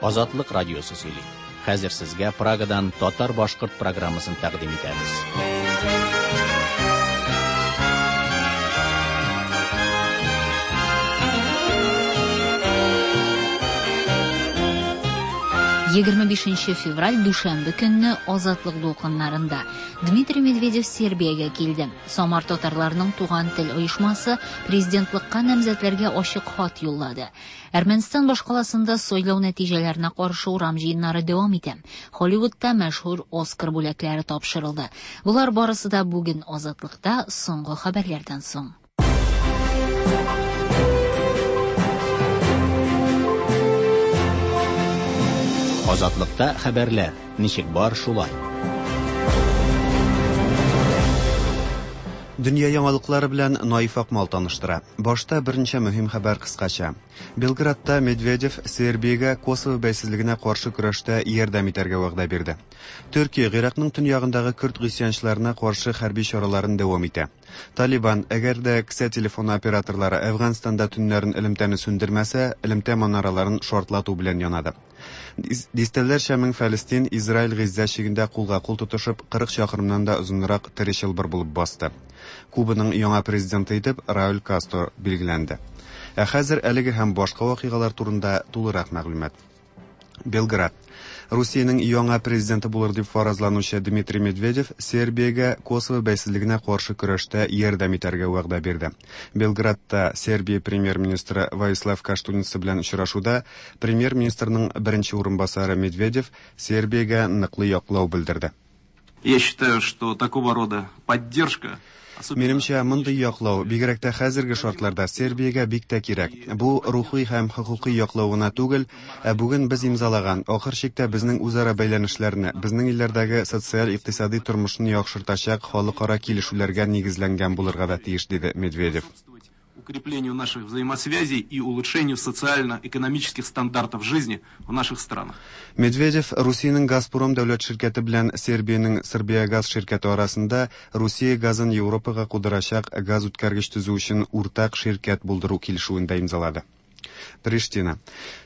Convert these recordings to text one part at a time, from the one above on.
Азатлык радиосы сөйли. Хәзер сезгә Прагадан татар-башкорт программасын тәкъдим итәбез. 25 февраль дүшәмбе көнне Азатлык дулкыннарында Дмитрий Медведев Сербиягә килде. Самар татарларының Туган тел оешмасы президентлыкка намзәтләргә ачык хат юллады. Әрмәнстан башкаласында сайлау нәтиҗәләренә каршы урам җыеннары дәвам итә. Холливудта мәшһүр Оскар бүләкләре тапшырылды. Болар барысы да бүген Азатлыкта соңгы хәбәрләрдән соң. Азатлыкта хәбәрләр ничек бар шулай. Дөнья яңалыклары белән Наиф Акмал таныштыра. Башта берничә мөһим хәбәр кыскача. Белградта Медведев Сербиягә Косово бәйсезлегенә каршы көрәштә ярдәм итәргә вәгъдә бирде. Төркия Гыйракның төньягындагы көрд гыйсьянчыларына каршы хәрби чараларын дәвам итә. Талибан, әгәр дә кесә телефоны операторлары Әфганстанда төннәрен элемтәне сүндермәсә, элемтә манараларын шартлату белән янады. Дистәләрчә мең фәлестин Израиль Гыйззә чигендә кулга-кул тотышып, 40 чакрымнан да озынрак тере чылбыр булып басты. Кубаның яңа президенты итеп Рауль Кастро билгеләнде. Ә хәзер әлеге һәм башка вакыйгалар турында тулырак мәгълүмат. Белград. Русиянең яңа президенты булыр дип фаразланучы Дмитрий Медведев Сербиягә Косово бәйсезлегенә каршы көрәштә ярдәм итәргә вәгъдә бирде. Белградта Сербия премьер-министры Воислав Каштуница белән очрашуда премьер-министрның беренче урынбасары Медведев Сербиягә ныклы яклау белдерде. Я считаю, что такого рода поддержка Минемчә, мондый яклау, бигрәк тә хәзерге шартларда, Сербиягә бик тә кирәк. Бу рухи һәм хокукый яклау гына түгел, ә бүген без имзалаган, ахыр чиктә безнең үзара бәйләнешләрне, безнең илләрдәге социаль-икътисади тормышны яхшыртачак халыкара килешүләргә нигезләнгән булырга да тиеш, диде Медведев. Укреплению наших взаимосвязей и улучшению социально-экономических стандартов жизни в наших странах. Медведев Русиянең Газпром дәүләт ширкәте белән Сербиянең Србиягаз ширкәте арасында Русия газын Европага кудырачак газ үткәргеч төзү өчен уртак ширкәт булдыру килешүен дә имзалады. Приштина.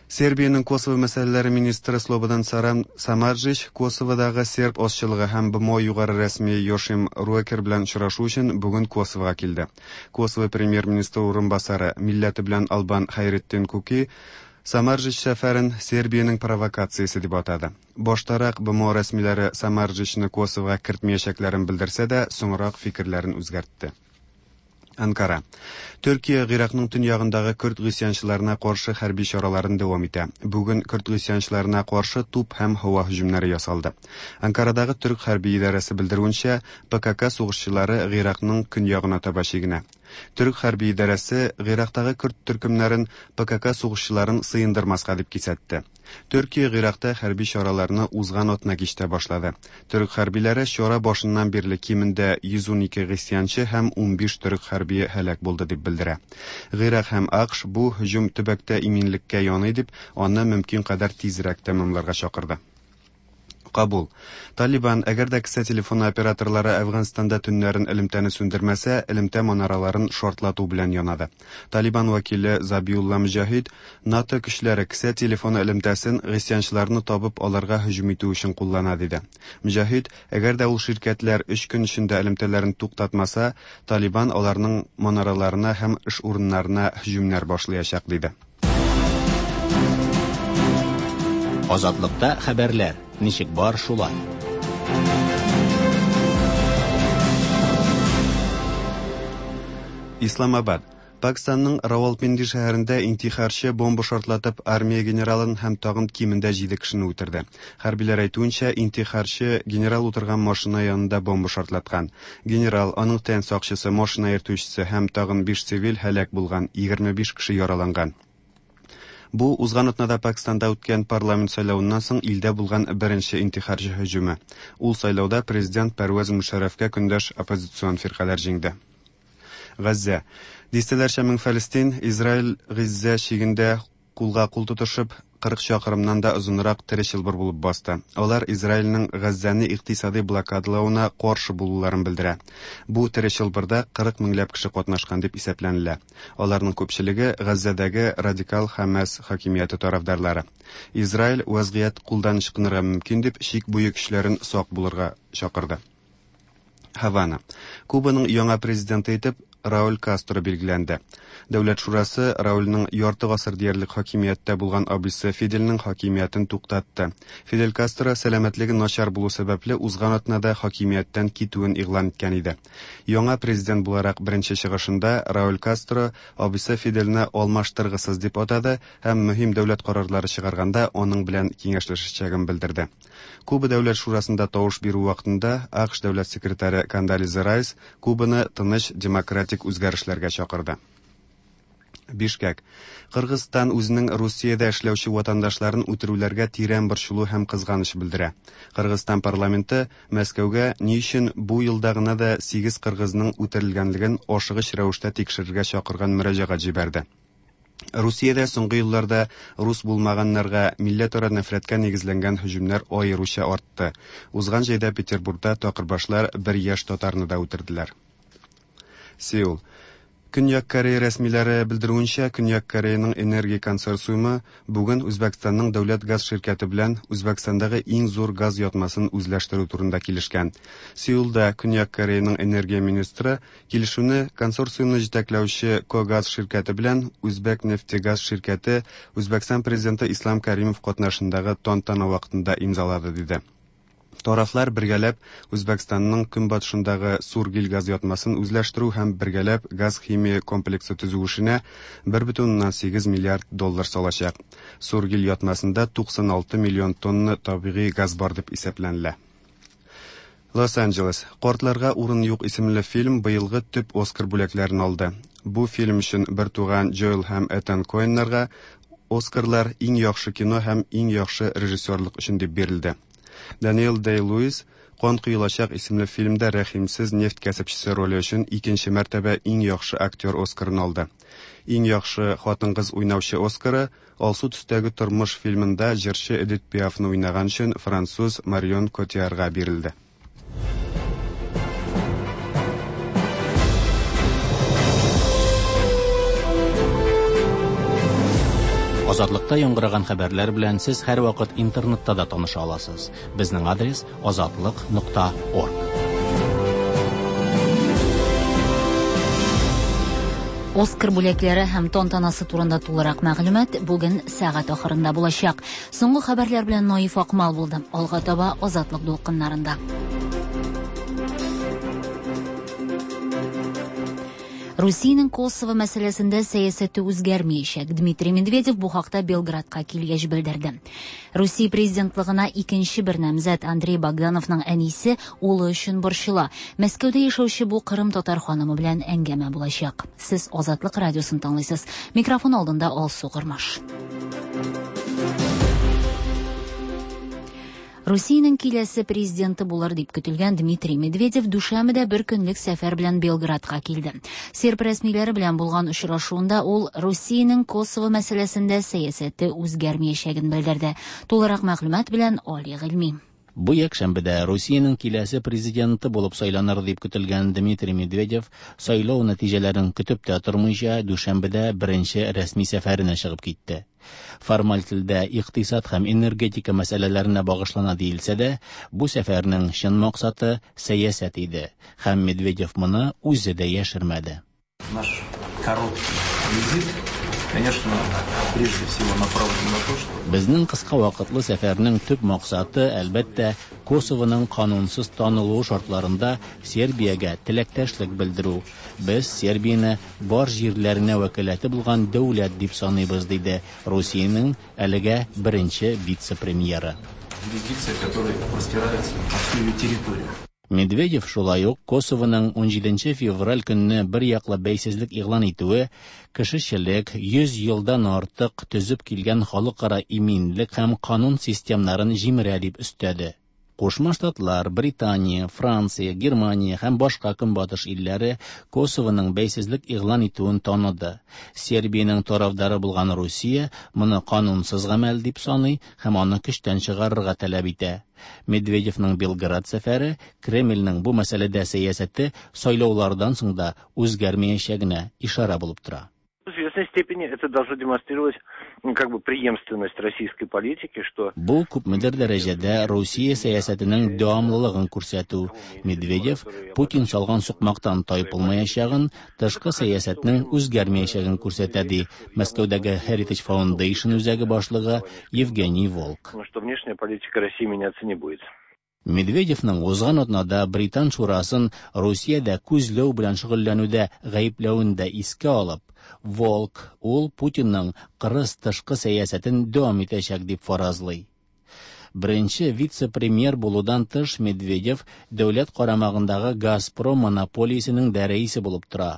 Сербиянең Косово мәсьәләләре министры Слободан Сарам Самарджич Косоводагы серб азчылыгы һәм БМО югары рәсми Йошим Руэкер белән очрашу өчен бүген Косовога килде. Косово премьер-министры урынбасары, милләте белән албан Хәйретдин Куки Самарджич сәфәрен Сербиянең провокациясе дип атады. Баштарак БМО рәсмиләре Самарджичны Косовога кертмәячәкләрен белдерсә дә, соңрак фикерләрен үзгәртте. Анкара. Төркия Гыйракның төньягындагы көрд гыйсьянчыларына каршы хәрби чараларын дәвам итә. Бүген көрд гыйсьянчыларына каршы туп һәм һава һөҗүмнәре ясалды. Анкарадагы төрк хәрби идарәсе белдерүенчә, ПКК сугышчылары Гыйракның көньягына таба чигенә. Төрк хәрби идарәсе Гыйрактагы көрд төркемнәрен ПКК сугышчыларын сыендырмаска дип кисәтте. Төркия Гыйракта хәрби чараларны узган атна кичтә башлады. Төрек хәрбиләре чара башыннан бирле кимендә 112 гыйсьянчы һәм 15 төрек хәрбие һәлак булды дип белдерә. Гыйрак һәм АКШ бу һөҗүм төбәктә иминлеккә яный дип, аны мөмкин кадәр тизрәк тәмамларга чакырды. Кабул. Талибан, әгәр дә кесә телефоны операторлары Әфганстанда төннәрен элемтәне сүндермәсә, элемтә манараларын шартлату белән янады. Талибан вәкиле Забиулла Мөҗәһид НАТО көчләре кесә телефоны элемтәсен гыйсьянчыларны табып аларга һөҗүм итү өчен куллана диде. Мөҗәһид, әгәр дә ул ширкәтләр өч көн эчендә элемтәләрен туктатмаса, Талибан аларның манараларына һәм эш урыннарына һөҗүмнәр башлаячак диде. Азатлыкта хәбәрләр ничек бар шулай. Исламабад. Пакистанның Равалпинди шәһәрендә интихарчы бомба шартлатып армия генералын һәм тагын кимендә 7 кешене үтерде. Хәрбиләр әйтүенчә, интихарчы генерал утырган машина янында бомба шартлаткан. Генерал, аның тән сакчысы, машина йөртүчесе һәм тагын 5 цивиль һәлак булган, 25 кеше яраланган. Бу узган атнада Пакистанда үткән парламент сайлавыннан соң илдә булган беренче интихарчы һөҗүме. Ул сайлауда президент Пәрвәз Мушәррәфкә көндәш оппозицион фиркаләр җиңде. Газзә. Дистәләрчә мең фәлестин Израиль Гыйззә чигендә кулга кул тотышып, 40 чакрымнан да озынрак тере чылбыр булып басты. Алар Израильнең Газзәне икътисадый блокадалавына каршы булуларын белдерә. Бу тере чылбырда 40 меңләп кеше катнашкан дип исәпләнелә. Аларның күпчелеге Газзәдәге радикал Хәмәс хакимияте тарафдарлары. Израиль вазгыять кулдан ычкынырга мөмкин дип чик буе көчләрен сак булырга чакырды. Һавана. Кубаның яңа президенты итеп Рауль Кастро билгеләнде. Дәүләт шурасы Раульның ярты гасыр диярлек хакимияттә булган абыйсы Фидельнең хакимиятен туктатты. Фидель Кастро сәламәтлеге начар булу сәбәпле узган атнада хакимияттән китүен игълан иткән иде. Яңа президент буларак беренче чыгышында Рауль Кастро абыйсы Фидельне алмаштыргысыз дип атады һәм мөһим дәүләт карарлары чыгарганда аның белән киңәшләшәчәген белдерде. Куба дәүләт шурасында тавыш бирү вакытында АКШ дәүләт секретаре Кондолиза Райс Кубаны тыныч демократик үзгәрешләргә чакырды. Бишкек. Кыргызстан үзенең Русиядә эшләүче ватандашларын үтерүләргә тирән борчылу һәм кызганыч белдерә. Кыргызстан парламенты Мәскәүгә ни өчен бу елда гына да 8 кыргызның үтерелгәнлеген ашыгыч рәвештә тикшерергә чакырган мөрәҗәгать җибәрде. Русиядә соңгы елларда рус булмаганнарга милләтара нәфрәткә нигезләнгән һөҗүмнәр аеруча артты. Узган җәйдә Петербургта такырбашлар бер яшь татарны да үтерделәр. Сеул. Көньяк Корея рәсмиләре белдерүенчә, Көньяк Кореяның энергия консорциумы бүген Үзбәкстанның дәүләт газ ширкәте белән Үзбәкстандагы иң зур газ ятмасын үзләштерү турында килешкән. Сеулда Көньяк Кореяның энергия министры килешүне консорциумны җитәкләүче Когаз ширкәте белән Үзбәк нефтегаз ширкәте Үзбәкстан президенты Ислам Каримов катнашындагы тантана вакытында имзалады, диде. Тарафлар бергәләп Үзбәкстанның көнбатышындагы Сургил газ ятмасын үзләштерү һәм бергәләп газ-химия комплексы төзү эшенә 1,8 миллиард доллар салачак. Сургил ятмасында 96 миллион тонна табигый газ бар дип исәпләнелә. Лос-Анджелес. Картларга урын юк исемле фильм быелгы төп Оскар бүләкләрен алды. Бу фильм өчен бертуган Джоэл һәм Этан Коэннарга Оскарлар иң яхшы кино һәм иң яхшы режиссерлык өчен дип бирелде. Даниэл Дэй-Луис Кан коелачак исемле фильмда рәхимсез нефть кәсепчесе роле өчен икенче мәртәбә иң яхшы актер Оскарын алды. Иң яхшы хатын-кыз уйнаучы Оскары Алсу төстәге тормыш фильмында җырчы Эдит Пиафны уйнаган өчен француз Марион Котиарга бирелде. Азатлыкта яңгыраган хәбәрләр белән сез һәрвакыт интернетта да таныша аласыз. Безнең адрес azatliq.org. Оскар бүләкләре һәм тантанасы турында тулырак мәгълүмат бүген сәгать ахырында булачак. Соңгы хәбәрләр белән Наиф Акмал булды. Алга таба Азатлык дулкыннарында. Русиянең Косово мәсьәләсендә сәясәте үзгәрмәячәк. Дмитрий Медведев бу хакта Белградка килгәч белдерде. Русия президентлыгына икенче бер намзәт Андрей Богдановның әнисе улы өчен борчыла. Мәскәүдә яшәүче бу Кырым татар ханымы белән әңгәмә булачак. Сез Азатлык радиосын тыңлыйсыз. Микрофон алдында Алсу Гырмаш. Русиянең киләсе президенты булыр дип көтелгән Дмитрий Медведев дүшәмбедә бер көнлек сәфәр белән Белградка килде. Серб рәсмиләре белән булган очрашуында ул Русиянең Косово мәсьәләсендә сәясәте үзгәрмәячәген белдерде. Тулырак мәгълүмат белән Али Гыйльми. Бу якшәмбедә Русиянең киләсе президенты булып сайланыр дип көтелгән Дмитрий Медведев сайлау нәтиҗәләрен көтеп тә тормыйча дүшәмбедә беренче рәсми сәфәренә чыгып китте. Формаль телдә икътисад һәм энергетика мәсьәләләренә багышлана диелсә дә, бу сәфәрнең чын максаты сәясәт иде, һәм Медведев моны үзе дә яшермәде. Наш короткий визит, конечно, прежде всего направлен на то, что Безнең кыска вакытлы сәфәрнең төп максаты, әлбәттә, Косовоның канунсыз танылуы шартларында Сербиягә теләктәшлек белдерү. Без Сербияне бар җирләренә вәкаләте булган дәүләт дип саныйбыз, диде Русиянең әлегә беренче вице-премьеры. юрисдикция, которая простирается на всю ее территорию. Медведев шулай ук Косовоның 17 февраль көнне бер яклы бәйсезлек игълан итүе кешечелек 100 елдан артык төзеп килгән халыкара иминлек һәм канун системнарын җимерә дип өстәде. Кушма Штатлар, Британия, Франция, Германия һәм башка көнбатыш илләре Косовоның бәйсезлек игълан итүен таныды. Сербиянең тарафдары булган Русия моны канунсыз гамәл дип саный һәм аны көчтән чыгарырга таләп итә. Медведевның Белград сәфәре Кремльнең бу мәсьәләдә сәясәте сайлаулардан соң да үзгәрмәячәгенә ишарә булып тора. В известной степени это должно демонстрировать, ну, как бы преемственность российской политики, что Бу күпмедер дәрәҗәдә Русия сәясәтенең дәвамлылыгын күрсәтү. Медведев Путин салган сукмактан тайпылмаячагын, тышкы сәясәтнең үзгәрмәячәген күрсәтә, ди Мәскәүдәге Heritage Foundation үзәге башлыгы Евгений Волк. что внешняя политика России меняться не будет. Медведевның узган атнада Британ шурасын Русиядә күзләү белән шөгыльләнүдә гаепләвен дә искә алып, Волк ул Путинның кырыс тышкы сәясәтен дәвам итәчәк дип фаразлый. Беренче вице-премьер булудан тыш Медведев дәүләт карамагындагы Газпром монополиясенең дә рәисе булып тора.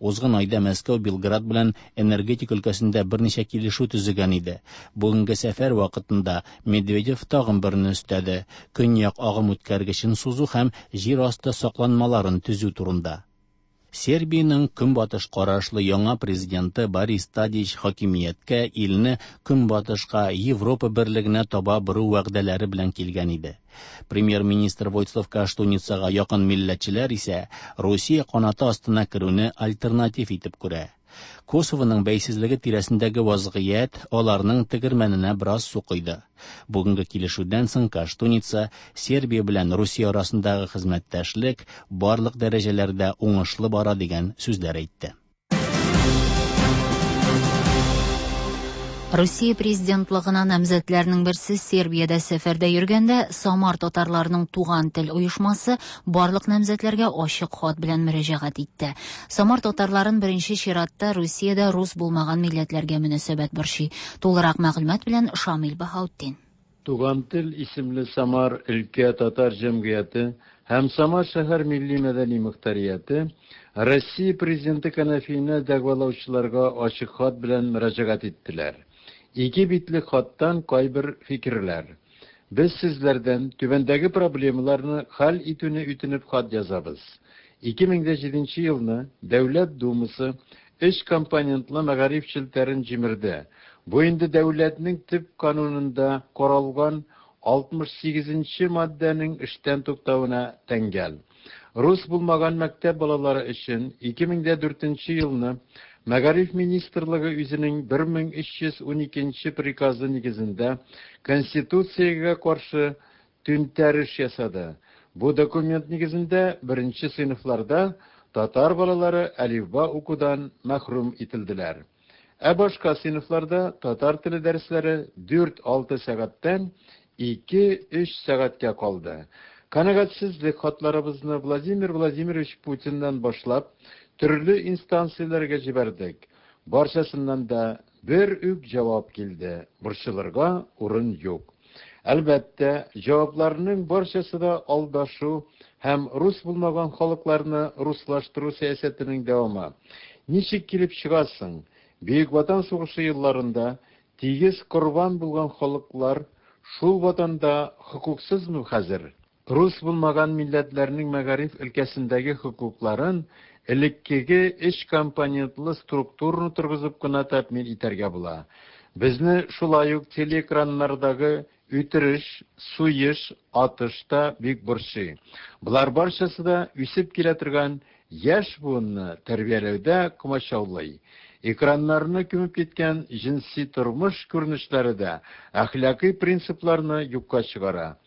Узган айда Мәскәү Белград белән энергетика өлкәсендә берничә килешү төзегән иде. Бүгенге сәфәр вакытында Медведев тагын берне өстәде: Көньяк агым үткәргечен сузу һәм җир асты сакланмаларын төзү турында. Сербиянең көнбатыш карашлы яңа президенты Борис Тадич хакимияткә илне көнбатышка, Европа берлегенә таба бору вәгъдәләре белән килгән иде. Премьер-министр Войслав Каштуницага якын милләтчеләр исә Русия канаты астына керүне альтернатив итеп күрә. Косовоның бәйсезлеге тирәсендәге вазгыять аларның тегермәненә бераз су койды. Бүгенге килешүдән соң Каштуница Сербия белән Русия арасындагы хезмәттәшлек барлык дәрәҗәләрдә уңышлы бара дигән сүзләр әйтте. Русия президентлыгына намзәтләрнең берсе Сербиядә сәфәрдә йөргәндә Самар татарларының Туган тел оешмасы барлык намзәтләргә ачык хат белән мөрәҗәгать итте. Самар татарларын беренче чиратта Русиядә рус булмаган милләтләргә мөнәсәбәт борчый. Тулырак мәгълүмат белән Шамил Баһаутдин. Туган тел исемле Самар өлкә татар җәмгыяте һәм Самар шәһәр милли мәдәни мөхтәрияте Россия президенты кәнәфиенә дәгъвалаучыларга ачык хат белән мөрәҗәгать иттеләр. Ике битлек хаттан кайбер фикерләр. Без сезләрдән түбәндәге проблемаларны хәл итүне үтенеп хат язабыз. 2007 елны Дәүләт Думасы өч компонентлы мәгариф челтәрен җимерде. Бу инде дәүләтнең төп канунында каралган 68 маддәнең эштән туктавына тәңгәл. Рус булмаган мәктәп балалары өчен 2004 елны Мәгариф министрлыгы үзенең 1312 приказы нигезендә Конституциягә каршы түнтәреш ясады. Бу документ нигезендә беренче сыйныфларда татар балалары әлифба укудан мәхрүм ителделәр. Ә башка сыйныфларда татар теле дәресләре 4-6 сәгатьтән 2-3 сәгатькә калды. Канәгатьсезлек хатларыбызны Владимир Владимирович Путиннан башлап төрле инстанцияләргә җибәрдек. Барчасыннан да бер үк җавап килде. Борчылырга урын юк. Әлбәттә, җавапларның барчасы да алдашу һәм рус булмаган халыкларны руслаштыру сәясәтенең дәвамы. Ничек килеп чыгасың? Бөек Ватан сугышы елларында тигез корбан булган халыклар шул ватанда хокуксызмы хәзер? Рус булмаган милләтләрнең мәгариф өлкәсендәге хокукларын элеккеге өч компонентлы структураны торгызып кына тәэмин итәргә була. Безне шулай ук телеэкраннардагы үтереш, суеш, атыш та бик борчый. Болар барчасы да үсеп килә торган яшь буынны тәрбияләүдә комачаулый. Экраннарны күмеп киткән җенси тормыш күренешләре дә әхлакый принципларны юкка чыгара.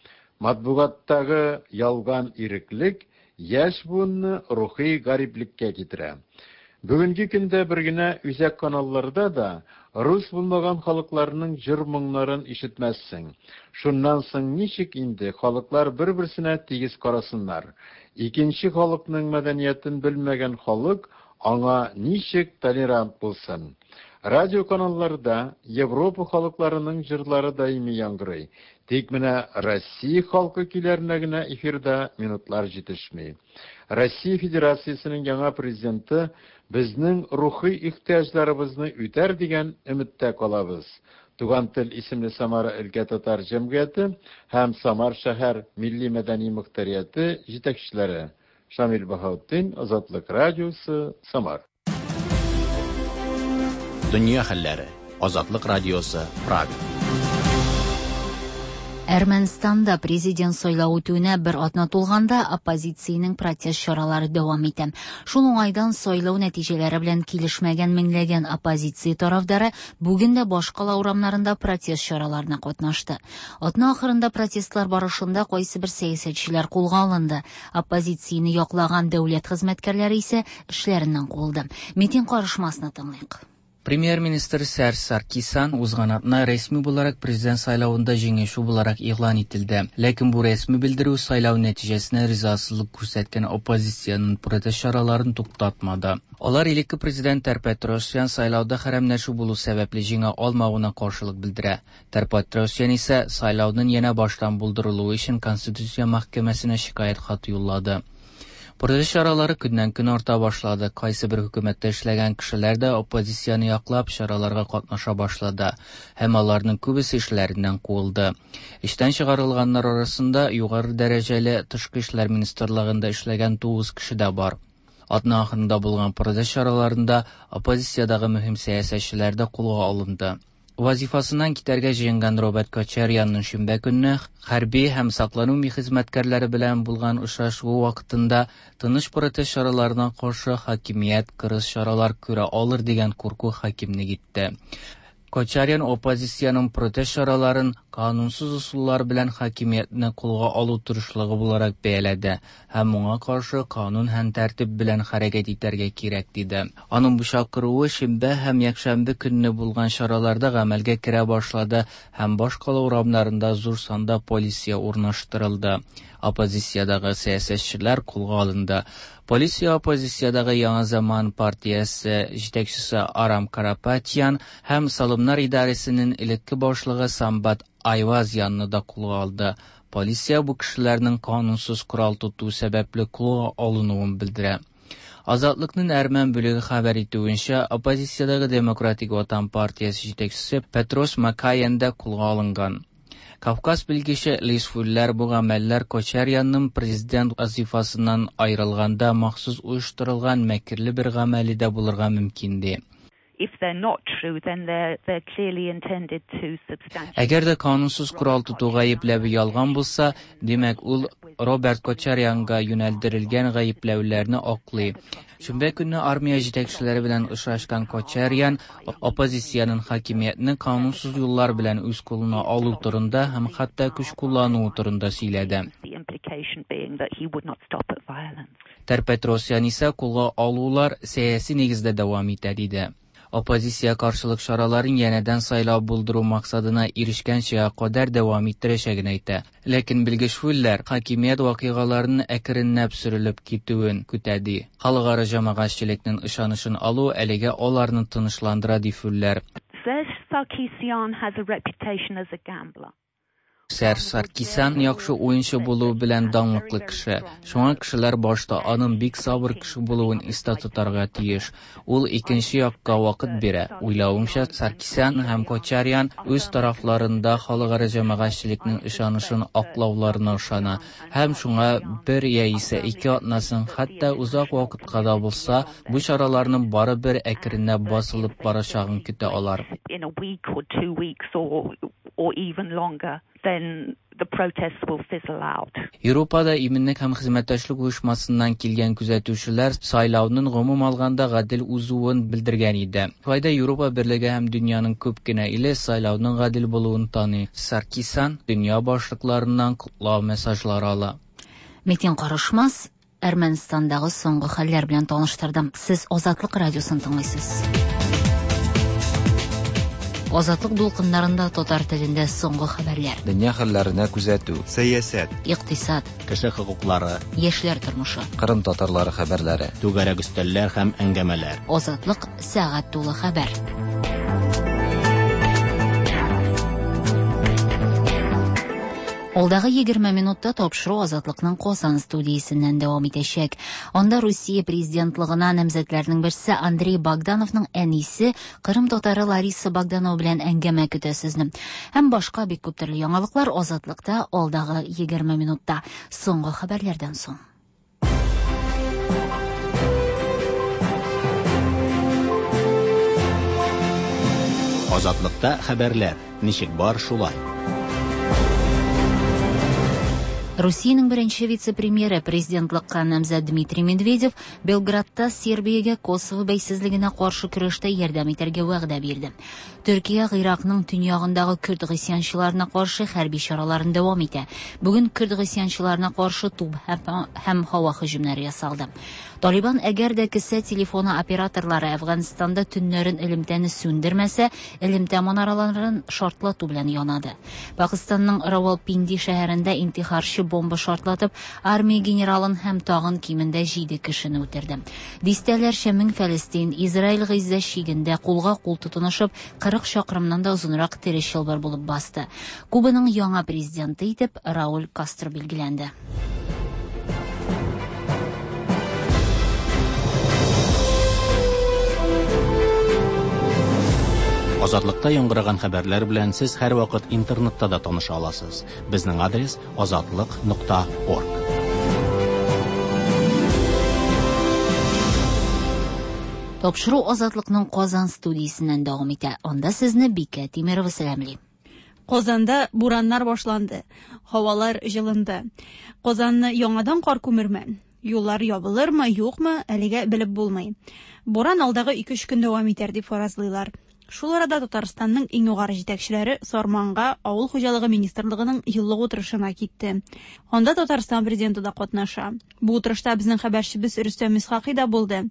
Матбугаттагы ялган иреклек яшь буынны рухи гариплеккә китерә. Бүгенге көндә бер генә үзәк каналларда да рус булмаган халыкларның җыр моңнарын ишетмәссең. Шуннан соң ничек инде халыклар бер-берсенә тигез карасыннар? Икенче халыкның мәдәниятен белмәгән халык аңа ничек толерант булсын? Радио каналларда Европа халыкларының җырлары даими яңгырый. Тик менә Россия халкы көйләренә генә эфирда минутлар җитешми. Россия Федерациясенең яңа президенты безнең рухи ихтыяҗларыбызны үтәр дигән өметтә калабыз. Туган тел исемле Самара өлкә татар җәмгыяте һәм Самар шәһәр милли-мәдәни мохтарияте җитәкчеләре. Шамил Баһаутдин, Азатлык радиосы, Самар. Дөнья хәлләре. Азатлык радиосы, Прага. Әрмәнстанда президент сайлау үтүенә бер атна тулганда оппозициянең протест чаралары дәвам итә. Шул уңайдан сайлау нәтиҗәләре белән килешмәгән меңләгән оппозиция тарафдары бүген дә башкала урамнарында протест чараларына катнашты. Атна ахырында протестлар барышында кайсыбер сәясәтчеләр кулга алынды. Оппозицияне яклаган дәүләт хезмәткәрләре исә эшләреннән куылды. Митин карышмасны тыңлыйк. Премьер-министр Серж Саркисян узган атна рәсми буларак президент сайлавында җиңүче буларак игълан ителде. Ләкин бу рәсми белдерү сайлау нәтиҗәсенә ризасызлык күрсәткән оппозициянең протест чараларын туктатмады. Алар элекке президент Тер-Петросян сайлауда хәрәмләшү булу сәбәпле җиңә алмавына каршылык белдерә. Тер-Петросян исә сайлауның янә баштан булдырылуы өчен Конституция мәхкәмәсенә шикаять хаты юллады. Протест чаралары көннән-көн арта башлады. Кайсы бер хөкүмәттә эшләгән кешеләр дә оппозицияне яклап чараларга катнаша башлады һәм аларның күбесе эшләреннән куылды. Эштән чыгарылганнар арасында югары дәрәҗәле тышкы эшләр министрлыгында эшләгән 9 кеше дә бар. Атна ахырында булган протест чараларында оппозициядәге мөһим сәясәтчеләр дә кулга алынды. Вазифасыннан китәргә җыенган Роберт Кочарянның шимбә көнне хәрби һәм саклану хезмәткәрләре белән булган очрашуы вакытында тыныч протест чараларына каршы хакимият кырыс чаралар күрә алыр дигән курку хакимлек итте. Кочарян оппозициянең протест чараларын канунсыз ысуллар белән хакимиятне кулга алу тырышлыгы буларак бәяләде һәм моңа каршы канун һәм тәртип белән хәрәкәт итәргә кирәк диде. Аның бу чакыруы шимбә һәм якшәмбе көнне булган чараларда гамәлгә керә башлады һәм башкала урамнарында зур санда полиция урнаштырылды. Оппозициядәге сәясәтчеләр кулга алынды. Полиция оппозициядәге Яңа Заман партиясе җитәкчесе Арам Карапатян һәм Салымнар идарәсенең элекке башлыгы Самбат Айвазянны да кулга алды. Полиция бу кешеләрнең канунсыз корал тоту сәбәпле кулга алынуын белдерә. Азатлыкның әрмән бүлеге хәбәр итүенчә, оппозициядәге Демократик Ватан партиясе җитәкчесе Петрос Макаян да кулга алынган. Кавказ белгече Лиз Фуллер бу гамәлләр Кочарянның президент вазифасыннан аерылганда махсус оештырылган мәкерле бер гамәле дә булырга мөмкин ди. If they're not true, then they're clearly intended to substantially. Әгәр дә канунсыз корал тоту гаепләве ялган булса, димәк ул Роберт Кочарянга юнәлдерелгән гаепләүләрне аклый. Шимбә көнне армия җитәкчеләре белән очрашкан Кочарян оппозициянең хакимиятне канунсыз юллар белән үз кулына алу турында һәм хәтта көч куллануы турында сөйләде. The implication being that he would not stop at violence. Тер-Петросян исә кулга алулар сәяси нигездә дәвам итә диде. Оппозиция каршылык чараларын янәдән сайлау булдыру максатына ирешкәнчә кадәр дәвам иттерәчәген әйтә. Ләкин белгеч Фуллер хакимият вакыйгаларының әкренләп сүрелеп китүен көтә ди. Халыкара җәмәгатьчелекнең ышанычын алу әлегә аларны тынычландыра ди Фуллер. Serge Sarkisyan has a reputation as a gambler. Серж Саркисян яхшы уенчы булуы белән данлыклы кеше. Шуңа кешеләр башта аның бик сабыр кеше булуын истә тотарга тиеш. Ул икенче якка вакыт бирә. Уйлавымча, Саркисян һәм Кочарян үз тарафларында халыкара җәмәгатьчелекнең ышанычын аклауларына ышана һәм шуңа бер яисә ике атнасын, хәтта озак вакытка да булса, бу чараларның барыбер әкренләп басылып барачагын көтә алар. In a week or 2 weeks or even longer, then the protests will fizzle out. Европада иминлек һәм хезмәттәшлек оешмасыннан килгән күзәтүчеләр сайлауның гомум алганда гадел узуын белдергән иде. Шулай да Европа берлеге һәм дөньяның күп кенә иле сайлауның гадел булуын таный. Саркисян дөнья башлыкларыннан котлау мессажлары ала. Метин Карышмас Әрмәнстандагы соңгы хәлләр белән таныштырды. Сез Азатлык радиосын тыңлыйсыз. Азатлык дулкыннарында татар телендә соңгы хәбәрләр. Дөнья хәлләренә күзәтү. Сәясәт. Икътисад. Кеше хокуклары. Яшьләр тормышы. Кырым татарлары хәбәрләре. Түгәрәк өстәлләр һәм әңгәмәләр. Азатлык сәгать тулы хәбәр. Алдагы 20 минутта тапшыру Азатлыкның Казан студиясеннән дәвам итәчәк. Анда Русия президентлыгына намзәтләрнең берсе Андрей Богдановның әнисе, Кырым татары Лариса Богданова белән әңгәмә көтә сезне. Һәм башка бик күп төрле яңалыклар Азатлыкта алдагы 20 минутта. Соңгы хәбәрләрдән соң. Азатлыкта хәбәрләр. Ничек бар, шулай. Русиянең беренче вице-премьеры, президентлыкка намзәт Дмитрий Медведев Белградта Сербиягә Косово бәйсезлегенә каршы көрәштә ярдәм итәргә вәгъдә бирде. Төркия Гыйракның төньягындагы көрд гыйсьянчыларына каршы хәрби чараларын дәвам итә. Бүген көрд гыйсьянчыларына каршы туп һәм һава һөҗүмнәре ясалды. Талибан әгәр дә кесә телефоны операторлары Әфганстанда төннәрен элемтәне сүндермәсә, элемтә манараларын шартлату белән янады. Пакыстанның Равалпинди шәһәрендә интихарчы бомба шартлатып, армия генералын һәм тагын кимендә 7 кешене үтерде. Дистәләрчә мең фәлестин Израиль Гыйззә чигендә кулга кул тотынышып, 40 чакрымнан да озынрак тере чылбыр булып басты. Кубаның яңа президенты итеп Рауль Кастро билгеләнде. Азатлыкта яңгыраган хәбәрләр белән сез һәрвакыт интернетта да таныша аласыз. Безнең адрес azatliq.org. Тапшыру Азатлыкның Казан студиясеннән дәвам итә. Анда сезне Бикә Тимерова сәламли. Казанда бураннар башланды. Һавалар җылынды. Казанны яңадан кар күмерме? Юллар ябылырмы, юкмы, әлегә белеп булмый. Буран алдагы 2-3 көн дәвам итәр дип фаразлыйлар. Шул арада Татарстанның иң югары җитәкчеләре Сарманга Авыл хуҗалыгы министрлыгының еллык утырышына китте. Анда Татарстан президенты да катнаша. Бу утырышта безнең хәбәрчебез Рөстәм Исхакый да булды.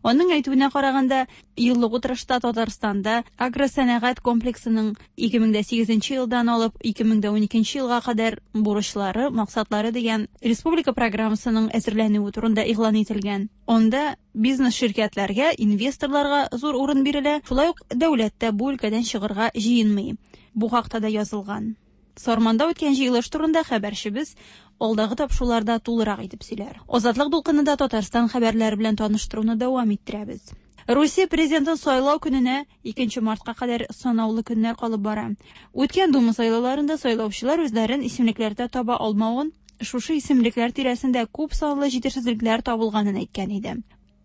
Аның әйтүенә караганда, еллык утырышта Татарстанда агросәнәгать комплексының 2008 елдан алып 2012 елга кадәр бурычлары, максатлары дигән республика программасының әзерләнүе турында игълан ителгән. Анда бизнес ширкәтләргә, инвесторларга зур урын бирелә, шулай ук дәүләт тә бу өлкәдән чыгарга җыенмый. Бу хакта да язылган. Сарманда үткән җыелыш турында хәбәрчебез алдагы тапшыруларда тулырак итеп сөйләр. Азатлык дулкынында Татарстан хәбәрләре белән таныштыруны дәвам иттерәбез. Русия президентын сайлау көненә 2 мартка кадәр санаулы көннәр калып бара. Үткән Дума сайлауларында сайлаучылар үзләрен исемлекләрдә таба алмавын, шушы исемлекләр тирәсендә күп санлы җитешсезлекләр табылганын әйткән иде.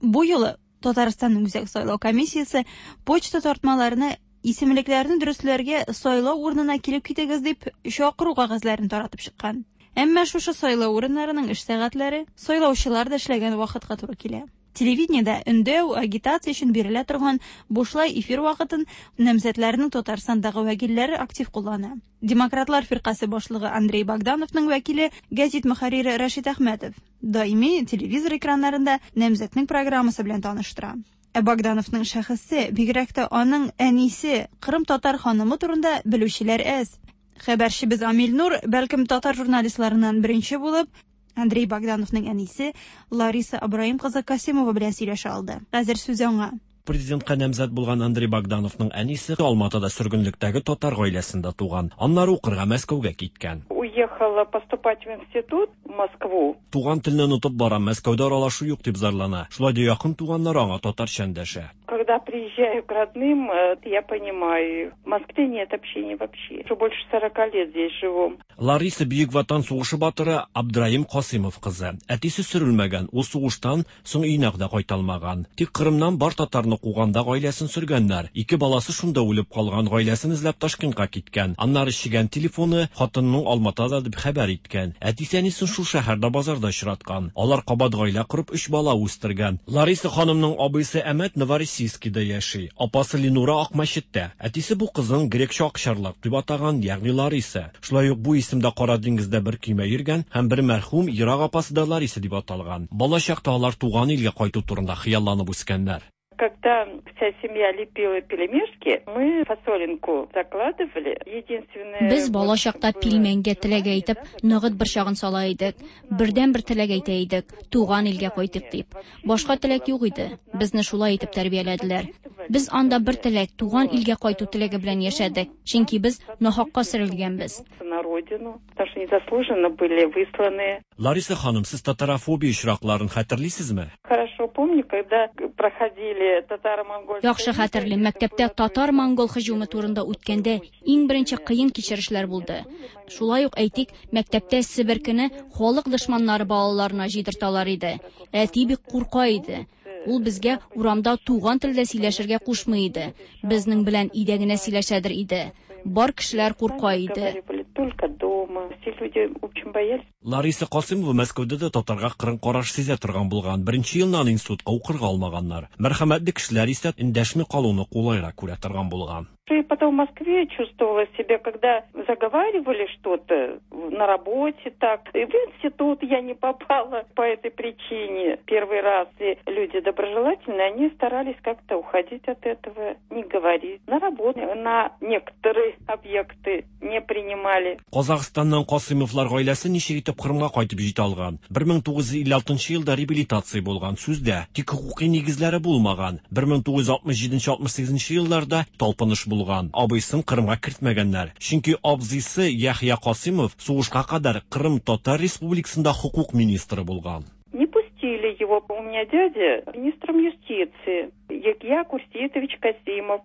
Бу юлы Татарстанның Үзәк сайлау комиссиясе почта тартмаларына исемлекләрне дөресләргә сайлау урынына килеп китегез дип чакыру кәгазьләрен таратып чыккан. Әмма шушы сайлау урыннарының эш сәгатьләре сайлаучылар да эшләгән вакытка туры килә. Телевидениедә өндәү, агитация өчен бирелә торган бушлай эфир вакытын намзәтләрнең Татарстандагы вәкилләре актив куллана. Демократлар фиркасе башлыгы Андрей Богдановның вәкиле газет мөхәррире Рәшит Әхмәтов даими телевизор экраннарында намзәтнең программасы белән таныштыра. Ә Богдановның шәхесе, бигрәк тә аның әнисе, Кырым татар ханымы турында белүчеләр әз. Хәбәрчебез Амил Нур, бәлкем татар журналистларыннан беренче булып, Андрей Богдановның әнисе Лариса Абраим кызы Касимова белән сөйләшә алды. Хәзер сүз аңа. Президентка намзәт булган Андрей Богдановның әнисе Алматыда сөргенлектәге татар гаиләсендә туган. Аннары укырга Мәскәүгә киткән. Уехала поступать в институт в Москву. Туган телне онытып барам, Мәскәүдә аралашу юк дип зарлана. Шулай да якын туганнар аңа татарча эндәшә. Когда приезжаю к родным, я понимаю, в Москве нет общения вообще. Уже больше 40 лет здесь живу. Лариса Бөек Ватан сугышы батыры Абдраим Касымов кызы. Әтисе сөрелмәгән, ул сугыштан соң өенә дә кайта алмаган. Тик Кырымнан бар татарны куганда гаиләсен сөргәннәр. Ике баласы шунда үлеп калган, гаиләсен эзләп Ташкентка киткән. Аннары чигән телефоны хатынының Алматада дип хәбәр иткән. Әтисе әнисен шул шәһәрдә базарда очраткан. Алар кабат гаилә корып 3 бала үстергән. Лариса ханымның абыйсы Әмәт Новороссийскида яши. Апасы Ленура Акмәчеттә. Әтисе бу кызын грекча акчарлак дип атаган, ягъни Лариса. Шулай ук бу исемдә Кара диңгездә бер көймә йөргән һәм бер мәрхүм ерак апасы да Лариса дип аталган. Бала чакта алар туган илгә кайту турында хыялланып үскәннәр. Когда вся семья лепила пельмешки, мы фасолинку закладывали. Единственное... Без бала чакта пилмәнгә теләк әйтеп, ногыт борчагын сала идек. Бердән-бер теләк әйтә идек, туган илгә кайтыйк дип. Башка теләк юк иде. Безне шулай итеп тәрбияләделәр. Без анда бер теләк, туган илгә кайту теләге белән яшәдек. Чөнки без нахакка сөрелгәнбез. на родину, потому что незаслуженно были высланы. Лариса ханым, сез татарофобия очракларын хәтерлисезме? Хорошо помню, когда проходили татаро-монгольские... Яхшы хәтерлим, мәктәптә татар-монгол һөҗүме турында үткәндә иң беренче кыен кичерешләр булды. Шулай ук, әйтик, мәктәптә себеркене халык дошманнары балаларына җыйдырталар иде. Әти бик курка иде. Ул безгә урамда туган телдә сөйләшергә кушмый иде. Безнең белән өйдә генә сөйләшәдер иде. Бар кешеләр курка иде. Только дома. Все люди очень боялись. Лариса Касыймова Мәскәүдә дә татарга кырын караш сизә торган булган. Беренче елны аны институтка укырга алмаганнар. Мәрхәмәтле кешеләр исә эндәшми калуны кулайрак күрә торган булган. И потом в Москве чувствовала себя, когда заговаривали что-то на работе так. И в институт я не попала по этой причине. Первый раз и люди доброжелательные, они старались как-то уходить от этого, не говорить. На работу, на некоторые объекты не принимали. Казахстаннан Касыймовлар гаиләсе ничек итеп Кырымга кайтып җитә алган? 1956 елда реабилитация булган, сүздә, тик хокукый нигезләре булмаган. 1967-68 елларда талпыныш булган. Абыйсын Кырымга кертмәгәннәр. Чөнки абзыйсы Яхъя Касыймов сугышка кадәр Кырым Татар Республикасында хокук министры булган. Не пустили его. У меня дядя министром юстиции, Яхья Курсеитович Касимов.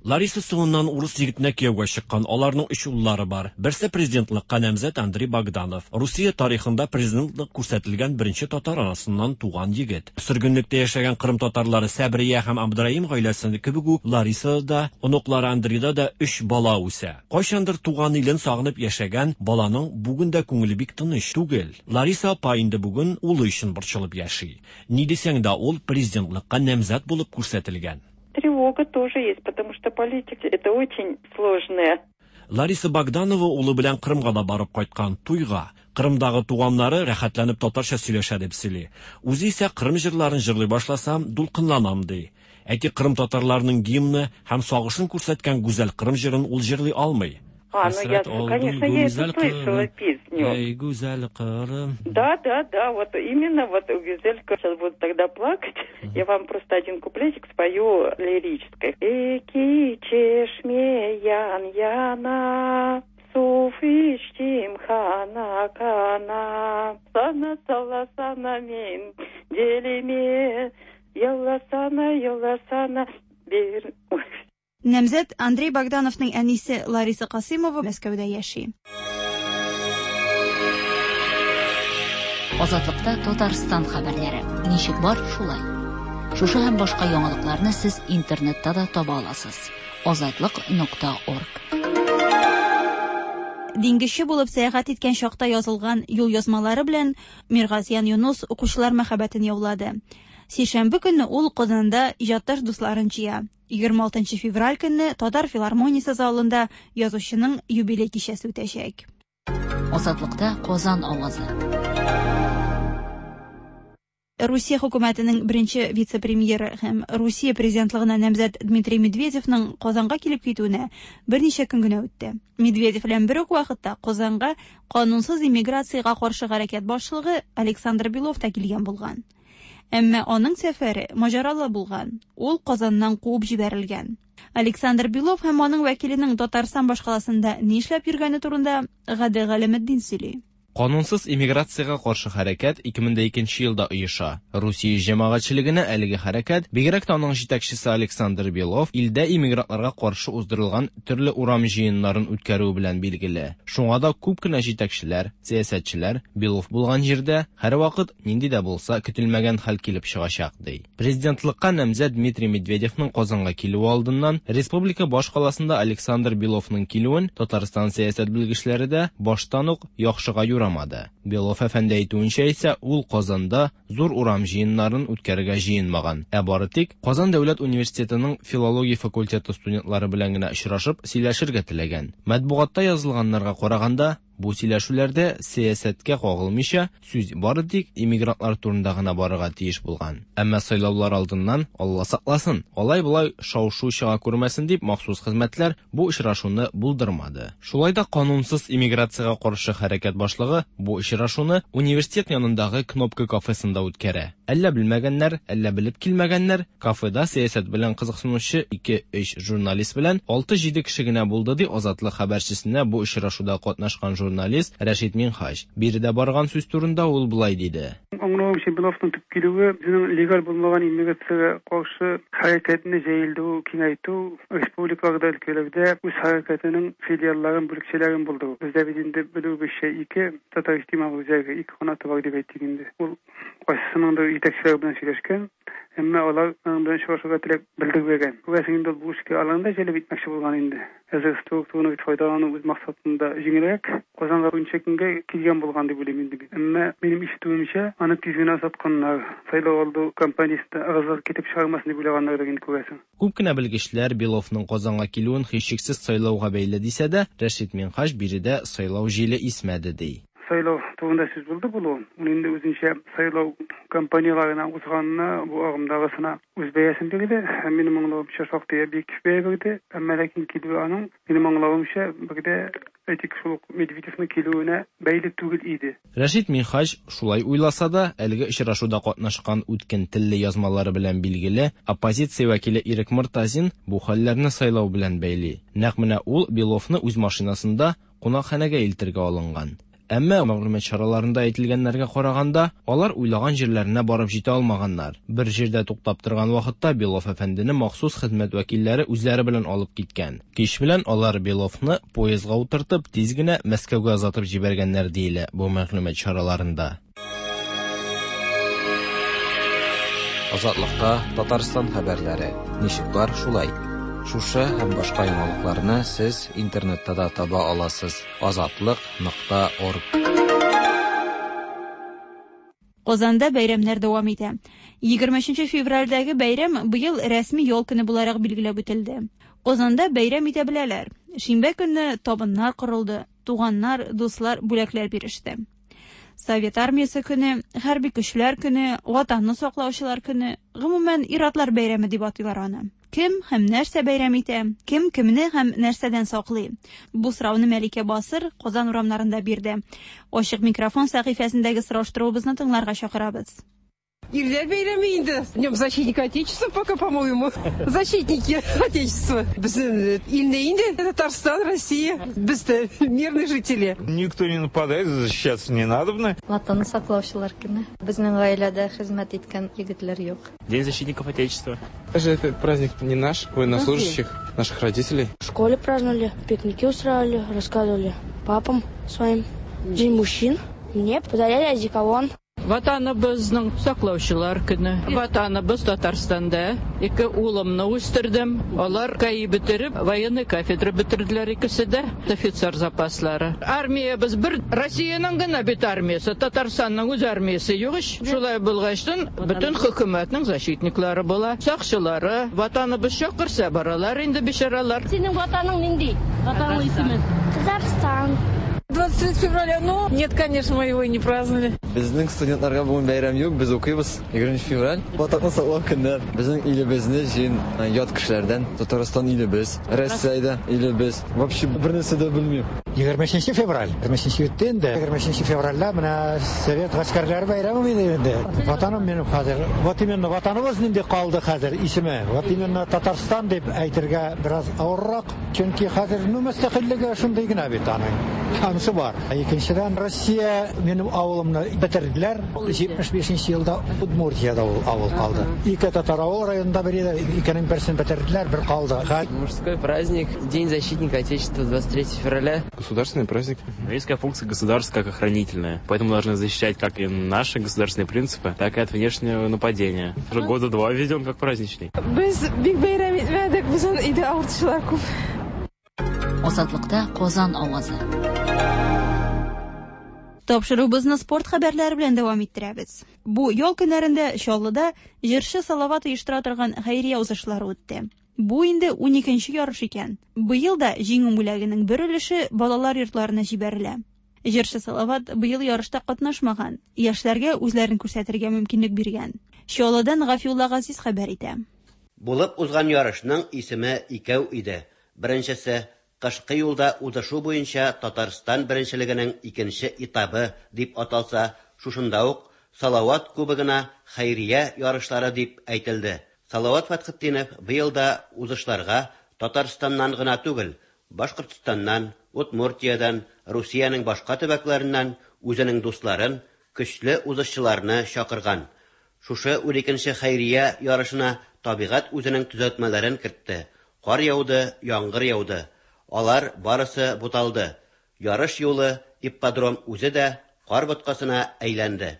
Лариса соңыннан урыс егетенә кияүгә чыккан. Аларның өч уллары бар. Берсе президентлыкка намзәт Андрей Богданов. Русия тарихында президентлык күрсәтелгән беренче татар анасыннан туган егет. Сөргенлектә яшәгән Кырым татарлары Сәбрия һәм Абдраим гаиләсе кебек үк Ларисада да, оныклары Андрейда да өч бала үсә. Кайчандыр туган илен сагынып яшәгән баланың бүген дә күңеле бик тыныч түгел. Лариса апа инде бүген улы өчен борчылып яши. Ни дисәң дә, ул президентлыкка намзәт булып күрсәтелгән. Тревога тоже есть, потому что политика это очень сложная. Лариса Богданова улы белән Кырымга да барып кайткан туйга. Кырымдагы туганнары рәхәтләнеп татарча сөйләшә дип сөйли. Үзе исә Кырым җырларын җырлый башласам, дулкынланам ди. Әйтик, Кырым татарларының гимны һәм сагышын күрсәткән гүзәл Кырым җырын ул җырлый алмый. А, ну я, конечно, я эту слышала песню. Эй, гүзәл Кырым. Да, да, да, вот именно вот Гюзелька сейчас буду тогда плакать. Я вам просто один куплетик спою лирической. Эки чешме ян яна, сув ичтим хана кана, сана сала сана мен делиме, ялла сана, ялла сана, бер... Ой. Намзәт Андрей Богдановның әнисе Лариса Касыймова Мәскәүдә яши. Азатлыкта Татарстан хәбәрләре. Ничек бар, шулай. Шушы һәм башка яңалыкларны сез интернетта да таба аласыз. Азатлык.орг. Диңгезче булып сәяхәт иткән чакта язылган юл язмалары белән Миргазиян Юнус укучылар мәхәббәтен яулады. Сишәмбе көнне ул Казанда иҗатташ дусларын җыя. 26 февраль көнне Татар филармониясе залында язучының юбилей кичәсе үтәчәк. Азатлыкта Казан авазы. Русия хөкүмәтенең беренче вице-премьеры һәм Русия президентлыгына намзәт Дмитрий Медведевның Казанга килеп китүенә берничә көн генә үтте. Медведев белән бер үк вакытта Казанга канунсыз иммиграциягә каршы хәрәкәт башлыгы Александр Белов та килгән булган. Әмма аның сәфәре маҗаралы булган. Ул Казаннан куып җибәрелгән. Александр Белов һәм аның вәкиленең Татарстан башкаласында нишләп йөргәне турында Гадел Галәметдин сөйли. Канунсыз иммиграциягә каршы хәрәкәт 2002 елда оеша. Русия җәмәгатьчелегенә әлеге хәрәкәт, бигрәк тә аның җитәкчесе Александр Белов, илдә иммигрантларга каршы уздырылган төрле урам җыеннарын үткәрүе белән билгеле. Шуңа да күп кенә җитәкчеләр, сәясәтчеләр Белов булган җирдә һәрвакыт нинди дә булса көтелмәгән хәл килеп чыгачак ди. Президентлыкка намзәт Дмитрий Медведевның Казанга килүе алдыннан республика башкаласында Александр Беловның килүен Татарстан сәясәт белгечләре дә баштан ук яхшыга юрамады. Белов әфәнде әйтүенчә исә, ул Казанда зур урам җыеннарын үткәрергә җыенмаган. Ә бары тик Казан дәүләт университетының филология факультеты студентлары белән генә очрашып сөйләшергә теләгән. Матбугатта язылганнарга караганда, Бу сөйләшүләрдә сәясәткә кагылмыйча, сүз бары тик иммигрантлар турында гына барырга тиеш булган. Әмма сайлаулар алдыннан, Алла сакласын, алай-болай шау-шу чыга күрмәсен дип, махсус хезмәтләр бу очрашуны булдырмады. Шулай да канунсыз иммиграциягә каршы хәрәкәт башлыгы бу очрашуны университет янындагы Кнопка кафесында үткәрә. Әллә белмәгәннәр, әллә белеп килмәгәннәр, кафеда сәясәт белән кызыксынучы ике-өч журналист белән алты-җиде кеше генә булды, ди Азатлык хәбәрчесенә бу очрашуда катнашкан журналист Рәшит Минһаҗ. Биредә барган сүз турында ул болай диде. Аңлавымча, Беловның төп килүе, үзенең легаль булмаган иммиграциягә каршы хәрәкәтне җәелдерү, киңәйтү, республикаларда, өлкәләрдә үз хәрәкәтенең филиалларын, бүлекчәләрен булдыру. Бездә бит инде, белүебезчә, ике татар иҗтимагый үзәге, ике канаты бар дип әйтик инде. Ул кайсысыныңдыр җитәкчеләре белән сөйләшкән, әмма алар аның белән очрашырга теләк белдермәгән. Күрәсең инде, ул бу эшкә аларны да җәлеп итмәкче булган инде. Әзер структураны бит файдалану үз максатында җиңелрәк. Казанга берничә көнгә килгән булган дип уйлыйм инде мин. Әмма минем ишетүемчә, аны тиз генә озатканнар. Сайлау алды кампаниясендә ыгы-зыгы китереп чыгармасын дип уйлаганнардыр инде, күрәсең. Күп кенә белгечләр Беловның Казанга килүен һичшиксез сайлауга бәйле дисә дә, Рәшит Минһаҗ биредә сайлау җиле исмәде, ди. Сайлау турында сүз булды булуын. Ул инде үзенчә сайлау кампанияләренә узганына, бу агымдагысына үз бәясен бирде. Һәм минем аңлавымча, шактый объектив бәя бирде. Әмма ләкин килүе аның, минем аңлавымча, бер дә, әйтик, шул ук Медведевның килүенә бәйле түгел иде. Рәшит Минһаҗ шулай уйласа да, әлеге очрашуда катнашкан үткен телле язмалары белән билгеле оппозиция вәкиле Ирек Мортазин бу хәлләрне сайлау белән бәйли. Нәкъ менә ул Беловны үз машинасында кунакханәгә илтергә алынган. Әмма, мәгълүмат чараларында әйтелгәннәргә караганда, алар уйлаган җирләренә барып җитә алмаганнар. Бер җирдә туктап торган вакытта Белов әфәндене махсус хезмәт вәкилләре үзләре белән алып киткән. Кич белән алар Беловны поездга утыртып, тиз генә Мәскәүгә озатып җибәргәннәр, диелә бу мәгълүмат чараларында. Азатлыкта Татарстан хәбәрләре. Ничек бар, шулай. Шушы һәм башка яңалыкларны сез интернетта да таба аласыз. Азатлык нокта орг. Казанда бәйрәмнәр дәвам итә. 23 февральдәге бәйрәм быел рәсми ял көне буларак билгеләп үтелде. Казанда бәйрәм итә беләләр. Шимбә көнне табыннар корылды, туганнар, дуслар бүләкләр биреште. Совет армиясе көне, хәрби көчләр көне, Ватанны саклаучылар көне, гомумән, ир-атлар бәйрәме дип атыйлар аны. Кем һәм нәрсә бәйрәм итә? Кем кемне һәм нәрсәдән саклый? Бу сорауны Мәликә Басыр Казан урамнарында бирде. Ачык микрофон сәхифәсендәге сораштыруыбызны тыңларга чакырабыз. Ирләр бәйрәме инде. Днем защитника Отечества пока, по-моему. Защитники Отечества. Безнең илне инде Татарстан, Россия. Без дә мирные жители. Никто не нападает, защищаться не надобно. Ватанны саклаучылар көне. Безнең гаиләдә хезмәт иткән егетләр юк. День защитников Отечества. Даже этот праздник не наш, военнослужащих, наших родителей. В школе праздновали, пикники устраивали, рассказывали папам своим. День мужчин. Мне подарили одеколон. Ватаныбызның саклаучылар көне. Ватаныбыз Татарстанда. Ике улымны үстердем. Алар КАИ бетереп, военный кафедра бетерделәр икесе дә. Офицер запаслары. Армиябез бер Россиянең генә бит армиясе, Татарстанның үз армиясе юк ич. Шулай булгачтын, бөтен хөкүмәтнең защитниклары була, сакчылары. Ватаныбыз чакырса баралар инде бичаралар. Синең ватаның нинди? Ватанның исеме? Татарстан. 23 февраля, ну, нет, конечно, мы его и не праздновали. Безнең студентларга бүген бәйрәм юк, без укыйбыз. 20 февраль Ватанны саклау көне. Безнең илебезне җыен ят кешеләрдән. Татарстан илебез, Россия илебез. Вообще бер нәрсә дә белмим. 23 февраль. 23 үтте инде. 23 февральдә менә Совет гаскәрләре бәйрәме иде инде. Ватаным минем хәзер. Вот именно ватаныбыз нинди калды хәзер исеме. Вот именно Татарстан дип әйтергә бераз авыррак. Чөнки хәзер ну мөстәкыйльлеге шундый гына бит аның. Анысы бар. Икенчедән Россия минем авылымны бетерделәр. 75 елда Удмуртиядә ул авыл калды. Ике татар авыл районында бер иде, икенең берсен бетерделәр, бер калды. Мужской праздник, День защитника Отечества, 23 февраля. Государственный праздник. Есть функция государства как охранительная, поэтому должны защищать как и наши государственные принципы, так и от внешнего нападения. Уже года два введен как праздничный. Без бик бәйрәм итмәдек, безнең өйдә авыртучылар күп. Азатлыкта Казан авазы. Тапшыруыбызны спорт хәбәрләре белән дәвам иттерәбез. Бу ял көннәрендә Чаллыда җырчы Салават оештыра торган хәйрия узышлары үтте. Бу инде уникенче ярыш икән. Быел да җиңү бүләгенең бер өлеше балалар йортларына җибәрелә. Җырчы Салават быел ярышта катнашмаган, яшьләргә үзләрен күрсәтергә мөмкинлек биргән. Чаллыдан Гафиулла Газиз хәбәр итә. Булып узган ярышның исеме икәү иде. Беренчесе, Кышкы юлда узышу буенча Татарстан беренчелегенең икенче этабы дип аталса, шушында ук Салават Кубогына хәйрия ярышлары дип әйтелде. Салават Фәтхетдинов быел да узышларга Татарстаннан гына түгел, Башкортстаннан, Удмуртиядән, Русиянең башка төбәкләреннән үзенең дусларын, көчле узышчыларны чакырган. Шушы уникенче хәйрия ярышына табигать үзенең төзәтмәләрен кертте, кар яуды, яңгыр яуды. Алар барысы буталды. Ярыш юлы, ипподром үзе дә кар боткасына әйләнде.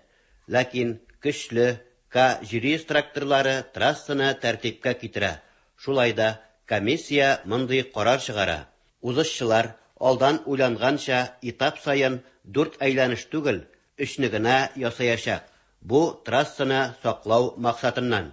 Ләкин көчле К-700 тракторлары трассаны тәртипкә китерә. Шулай да комиссия мондый карар чыгара, узышчылар, алдан уйланганча, этап саен дүрт әйләнеш түгел, өчне генә ясаячак. Бу, трассаны саклау максатыннан.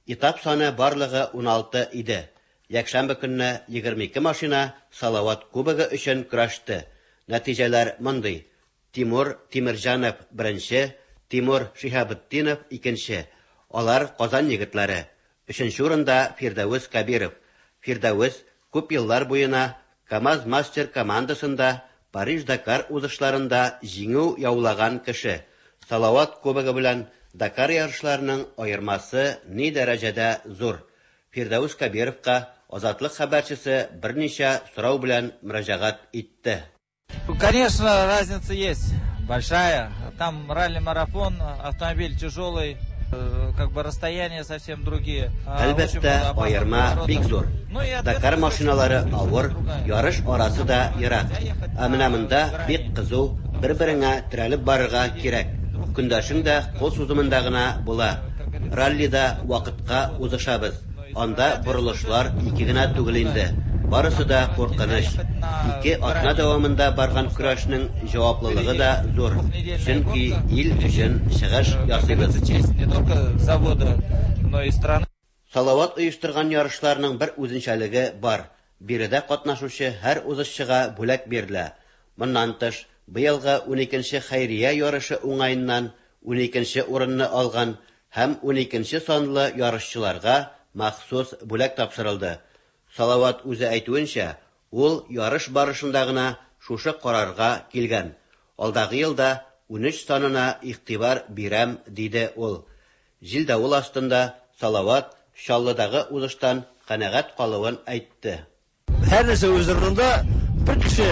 Этап саны барлыгы 16 иде. Якшәмбе көнне 22 машина Салават Кубогы өчен көрәште. Нәтиҗәләр мондый, Тимур Тимерҗанов, беренче, Тимур Шиһабетдинов, икенче. Алар Казан егетләре. Өченче урында Фирдәвес Кәбиров. Фирдәвес күп еллар буена КАМАЗ-Мастер командасында Париж-Дакар узышларында җиңү яулаган кеше. Салават Кубогы белән Дакар ярышларының аермасы ни дәрәҗәдә зур? Фирдәвес Кәбировка Азатлык хәбәрчесе берничә сорау белән мөрәҗәгать итте. Конечно, разница есть большая. Там ралли-марафон, автомобиль тяжелый, э, как бы расстояния совсем другие. Әлбәттә, аерма бик зур. Дакар машиналары авыр, ярыш арасы да ерак. Ә менә монда бик кызу, бер-береңә терәлеп барырга кирәк. Көндәшең дә кул сузымында гына була. Раллида вакытка узышабыз. Анда борылышлар ике генә түгел инде. Барысы да куркыныч. Ике атна дәвамында барган көрәшнең җаваплылыгы да зур, чөнки ил өчен чыгыш ясыйбыз. Салават оештырган ярышларның бер үзенчәлеге бар, биредә катнашучы һәр узышчыга бүләк бирелә. Моннан тыш, быелгы уникенче хәйрия ярышы уңаеннан уникенче урынны алган һәм уникенче санлы ярышчыларга махсус бүләк тапшырылды. Салават үзе әйтүенчә, ул ярыш барышында гына шушы карарга килгән. Алдагы елда 13 санына игътибар бирәм, диде ул. Җил-давыл астында Салават Чаллыдагы узыштан канәгать калуын әйтте. Һәр нәрсә үз урынында, бер кеше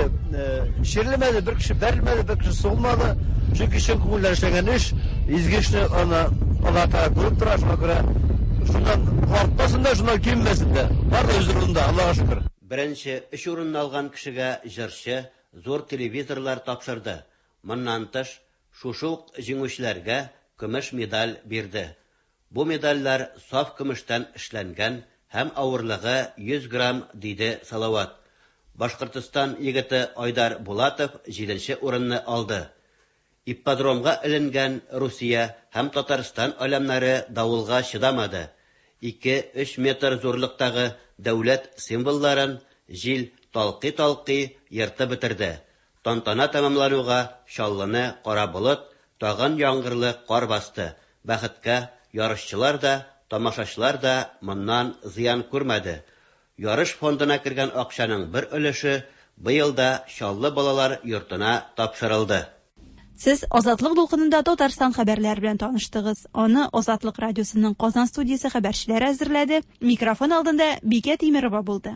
чирлемәде, бер кеше бәрелмәде, бер кеше сугылмады. Чөнки чын күңелдән эшләнгән эш, изге эшне аны Аллаһ Тәгалә күреп тора, шуңа күрә шуннан артмасын да, шуннан кимемәсен дә. Бар да үз урынында, Аллаһка шөкер. Беренче өч урынны алган кешегә җырчы зур телевизорлар тапшырды. Моннан тыш, шушы ук җиңүчеләргә көмеш медаль бирде. Бу медальләр саф көмештән эшләнгән һәм авырлыгы 100 грамм, диде Салават. Башкортстан егете Айдар Булатов җиденче урынны алды. Ипподромга эленгән Русия һәм Татарстан аләмнәре давылга чыдамады. Ике-өч метр зурлыктагы дәүләт символларын җил талкый-талкый ертып бетерде. Тантана тәмамлануга Чаллыны кара болыт, тагын яңгырлы кар басты. Бәхеткә, ярышчылар да, тамашачылар да моннан зыян күрмәде. Ярыш фондына кергән акчаның бер өлеше быел да Чаллы балалар йортына тапшырылды. Сез Азатлык дулкынында Татарстан хәбәрләре белән таныштыгыз. Аны Азатлык радиосының Казан студиясе хәбәрчеләре әзерләде. Микрофон алдында Бикә Тимерова булды.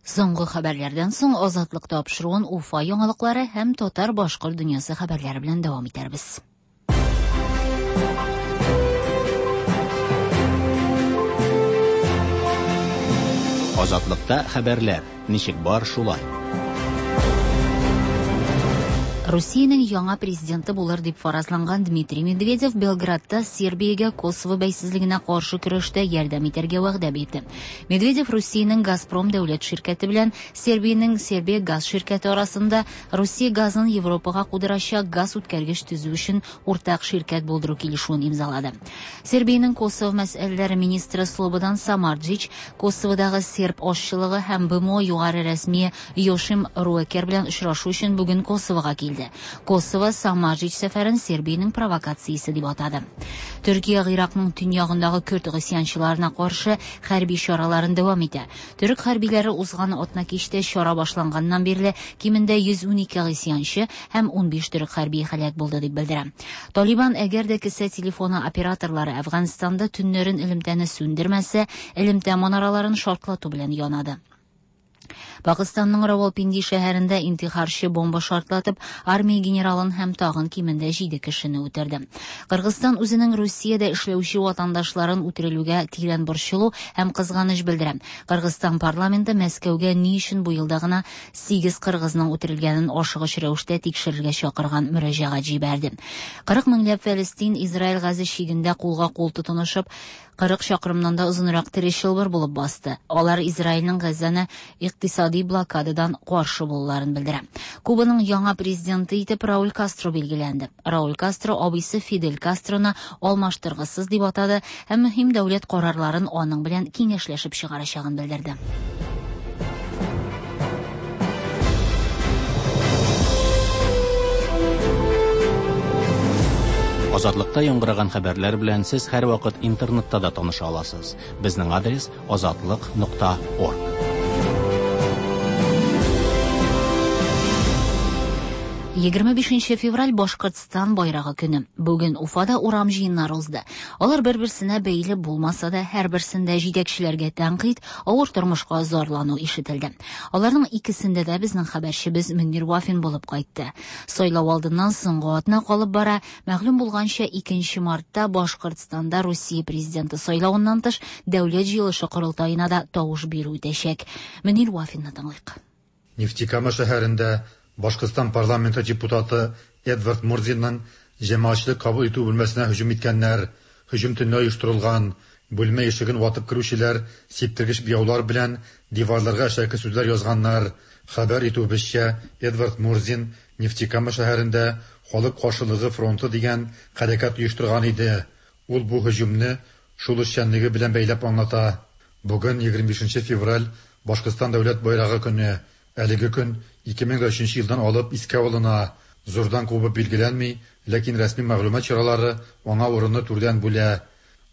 Соңгы хәбәрләрдән соң Азатлык тапшыруын Уфа яңалыклары һәм татар-башкорт дөньясы хәбәрләре белән дәвам итәрбез. Азатлыкта хәбәрләр, ничек бар шулай. Русиянең яңа президенты булыр дип фаразланган Дмитрий Медведев Белградта Сербиягә Косово бәйсезлегенә каршы көрәштә ярдәм итәргә вәгъдә бирде. Медведев Русиянең Газпром дәүләт ширкәте белән Сербиянең Сербия газ ширкәте арасында Русия газын Европага кудырачак газ үткәргеч төзү өчен уртак ширкәт булдыру килешүен имзалады. Сербиянең Косово мәсьәләләре министры Слободан Самарджич Косоводагы серб азчылыгы һәм БМО югары рәсмие Йошим Руэкер белән очрашу өчен бүген Косовога килде. килде. Косово Самарҗич сәфәрен Сербиянең провокациясе дип атады. Төркия Гыйракның төньягындагы көрд гыйсъянчыларына каршы хәрби чараларын дәвам итә. Төрек хәрбиләре узган атнакичтә чара башланганнан бирле кимендә 112 гыйсъянчы һәм 15 төрек хәрбие һәлак булды дип белдерә. Талибан әгәр дә кесә телефоны операторлары Әфганстанда төннәрен элемтәне сүндермәсә, элемтә манараларын шартлату белән янады. Пакыстанның Равалпинди шәһәрендә интихарчы бомба шартлатып, армия генералын һәм тагын кимендә 7 кешене үтерде. Кыргызстан үзенең Русиядә эшләүче ватандашларын үтерелүгә тирән борчылу һәм кызганыч белдерә. Кыргызстан парламенты Мәскәүгә ни өчен бу елда гына 8 кыргызның үтерелгәнен ашыгыч рәвештә тикшерергә чакырган мөрәҗәгать җибәрде. 40 меңләп фәлестин Израиль Газа чигендә кулга-кул тотынышып, 40 чакрымнан да озынрак тере чылбыр булып басты. Алар Израильнең Газаны икътисади блокададан каршы булуларын белдерә. Кубаның яңа президенты итеп Рауль Кастро билгеләнде. Рауль Кастро абыйсы Фидель Кастроны алмаштыргысыз дип атады һәм мөһим дәүләт карарларын аның белән киңәшләшеп чыгарачагын белдерде. Азатлыкта яңгыраган хәбәрләр белән сез һәрвакыт интернетта да таныша аласыз. Безнең адрес азатлык.орг. 25 февраль Башкортстан байрагы көне. Бүген Уфада урам җыеннары узды. Алар бер-берсенә бәйле булмаса да, һәрберсендә җитәкчеләргә тәнкыйть, авыр тормышка зарлану ишетелде. Аларның икесендә дә безнең хәбәрчебез Мөнир Вафин булып кайтты. Сайлау алдыннан соңгы атна калып бара. Мәгълүм булганча, 2 мартта Башкортстанда Русия президенты сайлавыннан тыш Дәүләт җыелышы корылтаена да тавыш бирү үтәчәк. Мөнир Вафинны тыңлыйк. Нефтекама шәһәрендә Башкортстан парламенты депутаты Эдвард Мурзинның җәмәгатьчелек кабул итү бүлмәсенә һөҗүм иткәннәр. Һөҗүм төнлә оештырылган. Бүлмә ишеген ватып керүчеләр сиптергеч буяулар белән диварларга әшәке сүзләр язганнар. Хәбәр итүебезчә, Эдвард Мурзин Нефтекама шәһәрендә Халык каршылыгы фронты дигән хәрәкәт оештырган иде. Ул бу һөҗүмне шул эшчәнлеге белән бәйләп аңлата. Бүген 25 февраль Башкортстан дәүләт байрагы көне. Әлеге көн 2003 елдан алып искә алына. Зурдан кубып билгеләнми, ләкин рәсми мәгълүмат чаралары аңа урынны түрдән бүлә.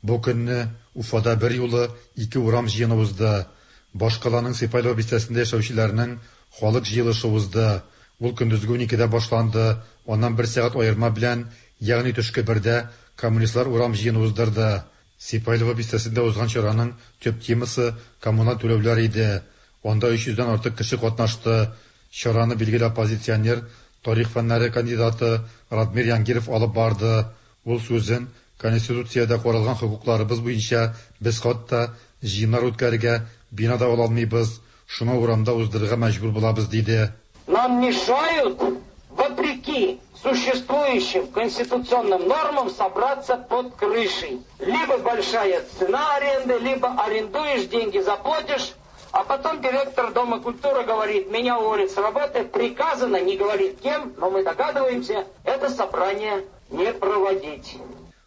Бу көнне Уфада бер юлы ике урам җыены узды. Башкаланың Сипайлово бистәсендә яшәүчеләрнең халык җыелышы узды. Ул көндезге 12-дә башланды. Аннан бер сәгать аерма белән, ягъни төшке бердә коммунистлар урам җыены уздырды. Сипайлово бистәсендә узган чараның төп темасы коммуналь түләүләр иде. Анда 300дән артык кеше катнашты. Чараны билгеле оппозиционер, тарих фәннәре кандидаты Радмир Янгиров алып барды. Ул сүзен Конституциядә каралган хокукларыбыз буенча без хатта җыеннар үткәрергә бина да ала алмыйбыз, шуңа урамда уздырырга мәҗбүр булабыз, диде. Нам мешают, вопреки существующим конституционным нормам, собраться под крышей. Либо большая цена аренды, либо арендуешь, деньги заплатишь, а потом директор Дома культуры говорит, меня уволят с работы, приказано, не говорит кем, но мы догадываемся, это собрание не проводить.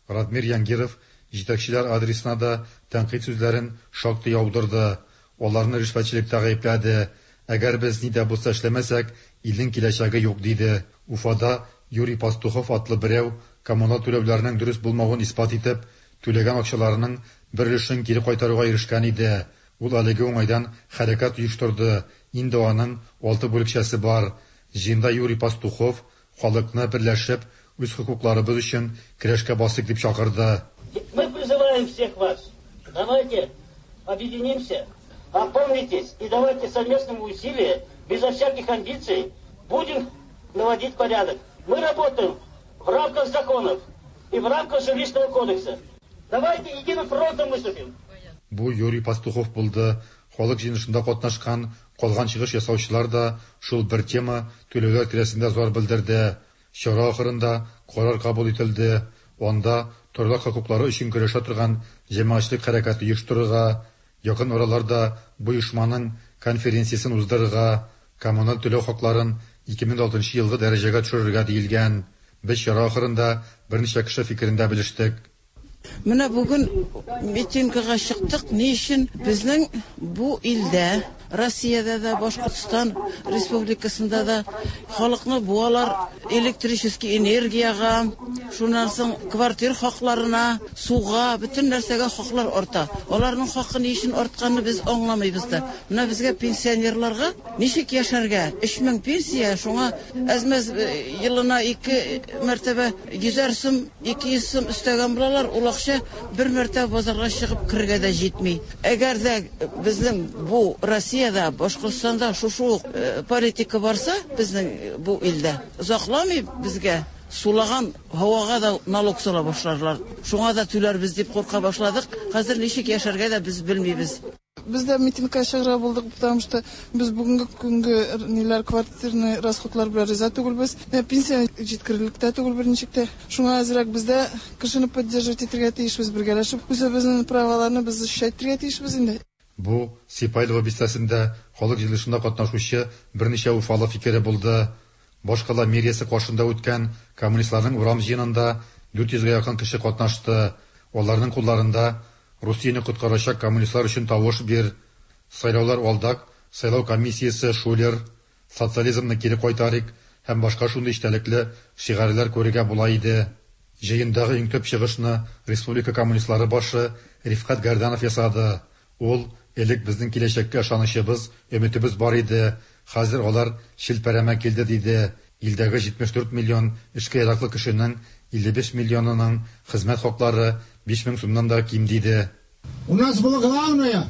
Радмир Янгиров җитәкчеләр адресына да тәнкыйть сүзләрен шактый яудырды. Аларны ришвәтчелектә гаепләде. Әгәр без ни дә булса эшләмәсәк, илнең киләчәге юк, диде. Уфада Юрий Пастухов атлы берәү коммуналь түләүләрнең дөрес булмавын исбат итеп, түләгән акчаларының бер өлешен кире кайтаруга ирешкән иде. Ул әлеге уңайдан хәрәкәт оештырды. Инде аның 6 бүлекчәсе бар. Җыенда Юрий Пастухов халыкны берләшеп, үз хокукларыбыз өчен көрәшкә басыйк дип чакырды. Мы призываем всех вас. Давайте объединимся, опомнитесь и давайте совместными усилиями, безо всяких амбиций, будем наводить порядок. Мы работаем в рамках законов и в рамках жилищного кодекса. Давайте единым фронтом выступим. Бу Юрий Пастухов булды. Халык җыелышында катнашкан калган чыгыш ясаучылар да шул бер тема түләүләр тирәсендә зар белдерде. Чара ахырында карар кабул ителде. Анда торак хокуклары өчен көрәшә торган җәмәгатьчелек хәрәкәте оештырырга, якын араларда бу оешманың конференциясен уздырырга, коммуналь түләү хакларын 2006 елгы дәрәҗәгә төшерергә диелгән. Без чара ахырында берничә кеше фикерен дә белештек. Менә бүген митингага чыктык. Ни өчен? Безнең бу илдә Россиядә дә, Башкортстан Республикасында да халыкны буалар электрический энергиягә, шуннан соң квартир хакларына, суга, бөтен нәрсәгә хаклар арта. Аларның хакы ни өчен артканны без аңламыйбыз да. Менә безгә пенсионерларга ничек яшәргә? 3000 пенсия, шуңа әз-мәз елына ике мәртәбә йөзәр сум, 200 сум өстәгән булалар, ул акча бер мәртәбә базарга чыгып керергә дә җитми. Әгәр дә безнең бу Россиядә, Башкортстанда шушы ук политика барса, безнең бу илдә, озакламый безгә сулаган һавага да налог сала башларлар. Шуңа да түләрбез дип курка башладык. Хәзер ничек яшәргә дә без белмибез. Без дә митингка чыгарга булдык, потому что без бүгенге көнге ниләр квартирный расходлар белән риза түгелбез. Пенсия җиткерерлек тә түгел берничек тә. Шуңа әзрәк без дә кешене поддерживать итәргә тиешбез, бергәләшеп үзебезнең праваларны без защищать итәргә тиешбез инде. Бу Сипайлово бистәсендә халык җыелышында катнашучы берничә уфалы фикере булды. Башкала мэриясе каршында үткән коммунистларның урам җыенында 400 гә якын кеше катнашты. Аларның кулларында Русияне коткарачак коммунистлар өчен тавыш бир, Сайлаулар алдак, Сайлау комиссиясе шулер, Социализмны кире кайтарыйк һәм башка шундый эчтәлекле шигарьләр күрергә була иде. Җыендагы иң төп чыгышны республика коммунистлары башы Рифкать Гәрданов ясады. Ул, Элек безнең киләчәккә ышанычыбыз, өметебез бар иде, хәзер алар челпәрәмә килде, диде. Илдәге 74 миллион эшкә яраклы кешенең 55 миллионының хезмәт хаклары 5000 сумнан да ким, диде. У нас было главное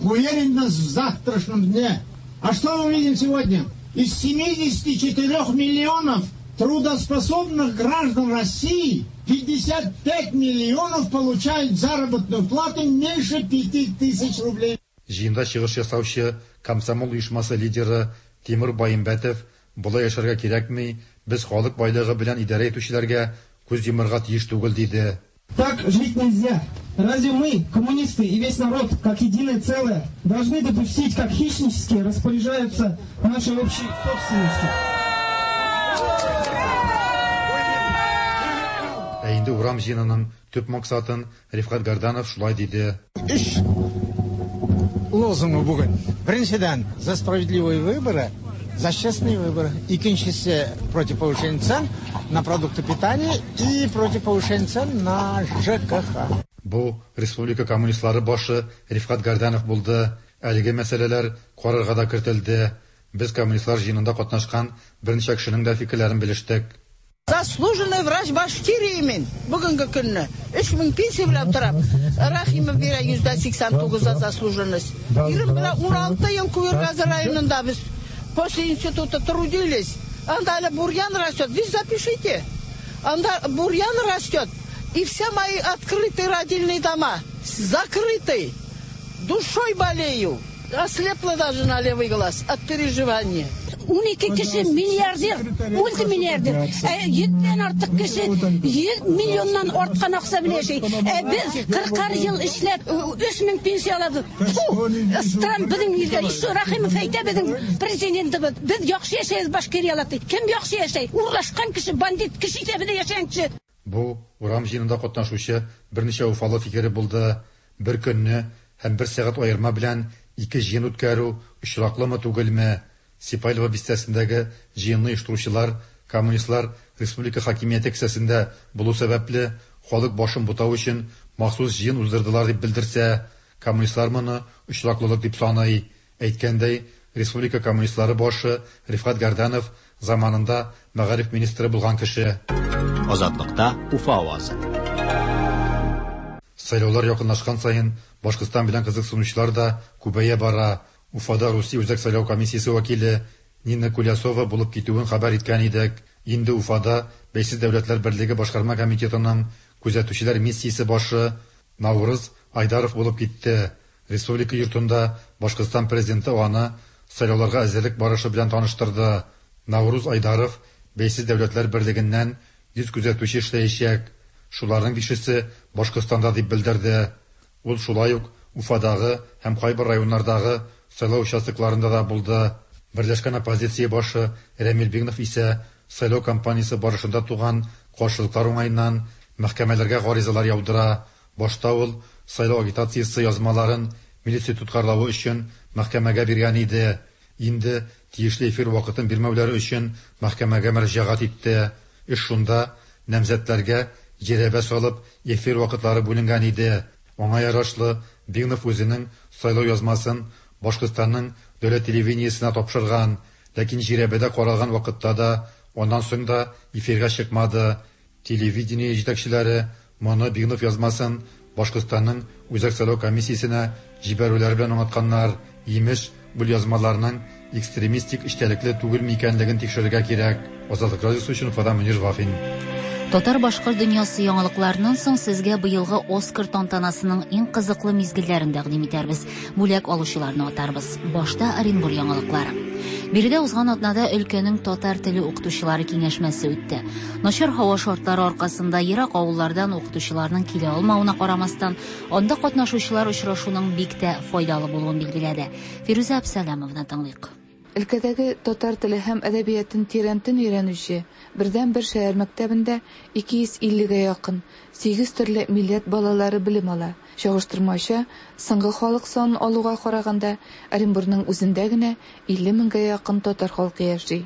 уверенность в завтрашнем дне. А что мы видим сегодня? Из 74 миллионов трудоспособных граждан России 55 миллионов получают заработную плату меньше 5000 рублей. Җыенда чыгыш ясаучы комсомол оешмасы лидеры Тимур Баимбәтов, болай яшәргә кирәкми, без халык байлыгы белән идарә итүчеләргә күз йомарга тиеш түгел, диде. Так жить нельзя. Разве мы, коммунисты и весь народ, как единое целое, должны допустить, как хищнически распоряжаются нашей общей собственностью? Ә инде урам җыенының төп максатын Рифкать Гәрданов шулай диде. Өч лозунгы бүген. Беренчедән, за справедливые выборы, за честные выборы. Икенчесе, против повышения цен на продукты питания и против повышения цен на ЖКХ. Бу республика коммунистлары башы Рифкать Гәрданов булды. Әлеге мәсьәләләр карарга да кертелде. Без коммунистлар җыенында катнашкан берничә кешенең дә фикерләрен белештек. Заслуженный врач Башкирии мин бүгенге көнне. 3000 пенсия белән торам. Рахимов бирә 89% за заслуженность. Ирем белән 16 ел Куергазы районында без после института трудились. Анда әле бурьян растет. Вы запишите. Анда бурьян растет. И все мои открытые родильные дома закрыты. Душой болею. Ослепла даже на левый глаз от переживания. 12 кеше миллиардер, мультимиллиардер. Ә 100дән артык кеше 100 миллионнан арткан акча белән яши. Ә без 40 ел эшләп 3000 пенсия алабыз. Фу, стран безнең илдә. Еще Рахимов әйтә безнең президентыбыз. Без яхшы яшәйбез Башкириялар ди. Кем яхшы яшәй? Урлашкан кеше, бандит кеше исәбендә яшәгән кеше. Бу урам җыенында катнашучы берничә уфалы фикере булды. Бер көнне һәм бер сәгать аерма белән ике җыен үткәрү очраклымы түгелме? Сипайлово бистәсендәге җыенны оештыручылар, коммунистлар республика хакимияте кесәсендә булу сәбәпле, халык башын бутау өчен махсус җыен уздырдылар дип белдерсә, коммунистлар моны очраклылык дип саный. Әйткәндәй, республика коммунистлары башы Рифкать Гәрданов заманында мәгариф министры булган кеше. Азатлыкта Уфа авазы. Сайлаулар якынлашкан саен Башкортстан белән кызыксынучылар да күбәя бара. Уфада Русия Үзәк сайлау комиссиясе вәкиле Нина Кулясова булып китүен хәбәр иткән идек. Инде Уфада Бәйсез дәүләтләр берлеге башкарма комитетының күзәтүчеләр миссиясе башы Наурыз Айдаров булып китте. Республика йортында Башкортстан президенты аны сайлауларга әзерлек барышы белән таныштырды. Науруз Айдаров Бәйсез дәүләтләр берлегеннән 100 күзәтүче эшләячәк. Шуларның бишесе Башкортстанда дип белдерде. Ул шулай ук Уфадагы һәм кайбер районнардагы сайлау участокларында да булды. Берләшкән оппозиция башы Рәмил Бигнов исә сайлау кампаниясе барышында туган каршылыклар уңаеннан мәхкәмәләргә гаризалар яудыра. Башта ул сайлау агитациясе язмаларын милиция тоткарлавы өчен мәхкәмәгә биргән иде. Инде тиешле эфир вакытын бирмәүләре өчен мәхкәмәгә мөрәҗәгать итте. Эш шунда, намзәтләргә жирәбә салып эфир вакытлары бүленгән иде. Аңа ярашлы Бигнов үзенең сайлау язмасын Башкортстанның дәүләт телевидениесенә тапшырган, ләкин жирәбәдә каралган вакытта да, аннан соң да эфирга чыкмады. Телевидение җитәкчеләре моны Бигнов язмасын Башкортстанның Үзәк сайлау комиссиясенә җибәрүләре белән аңлатканнар. Имеш, бу язмаларның экстремистик эчтәлекле түгелме икәнлеген тикшерергә кирәк. Азатлык радиосы өчен Уфадан Мөнир Вафин. Татар-башкорт дөньясы яңалыкларыннан соң сезгә быелгы Оскар тантанасының иң кызыклы мизгелләрен тәкъдим итәрбез. Бүләк алучыларны атарбыз. Башта Оренбур яңалыклары. Биредә узган атнада өлкәнең татар теле укытучылары киңәшмәсе үтте. Начар һава шартлары аркасында ерак авыллардан укытучыларның килә алмавына карамастан, анда катнашучылар очрашуның бик тә файдалы булуын билгеләде. Фирүзә Әпсәләмованы тыңлыйк. Өлкәдәге татар теле һәм әдәбиятын тирәнтен өйрәнүче бердәнбер шәһәр мәктәбендә 250 гә якын, сигез төрле милләт балалары белем ала. Чагыштырмача, соңгы халык санын алуга караганда, Оренбурның үзендә генә 50 меңгә якын татар халкы яши.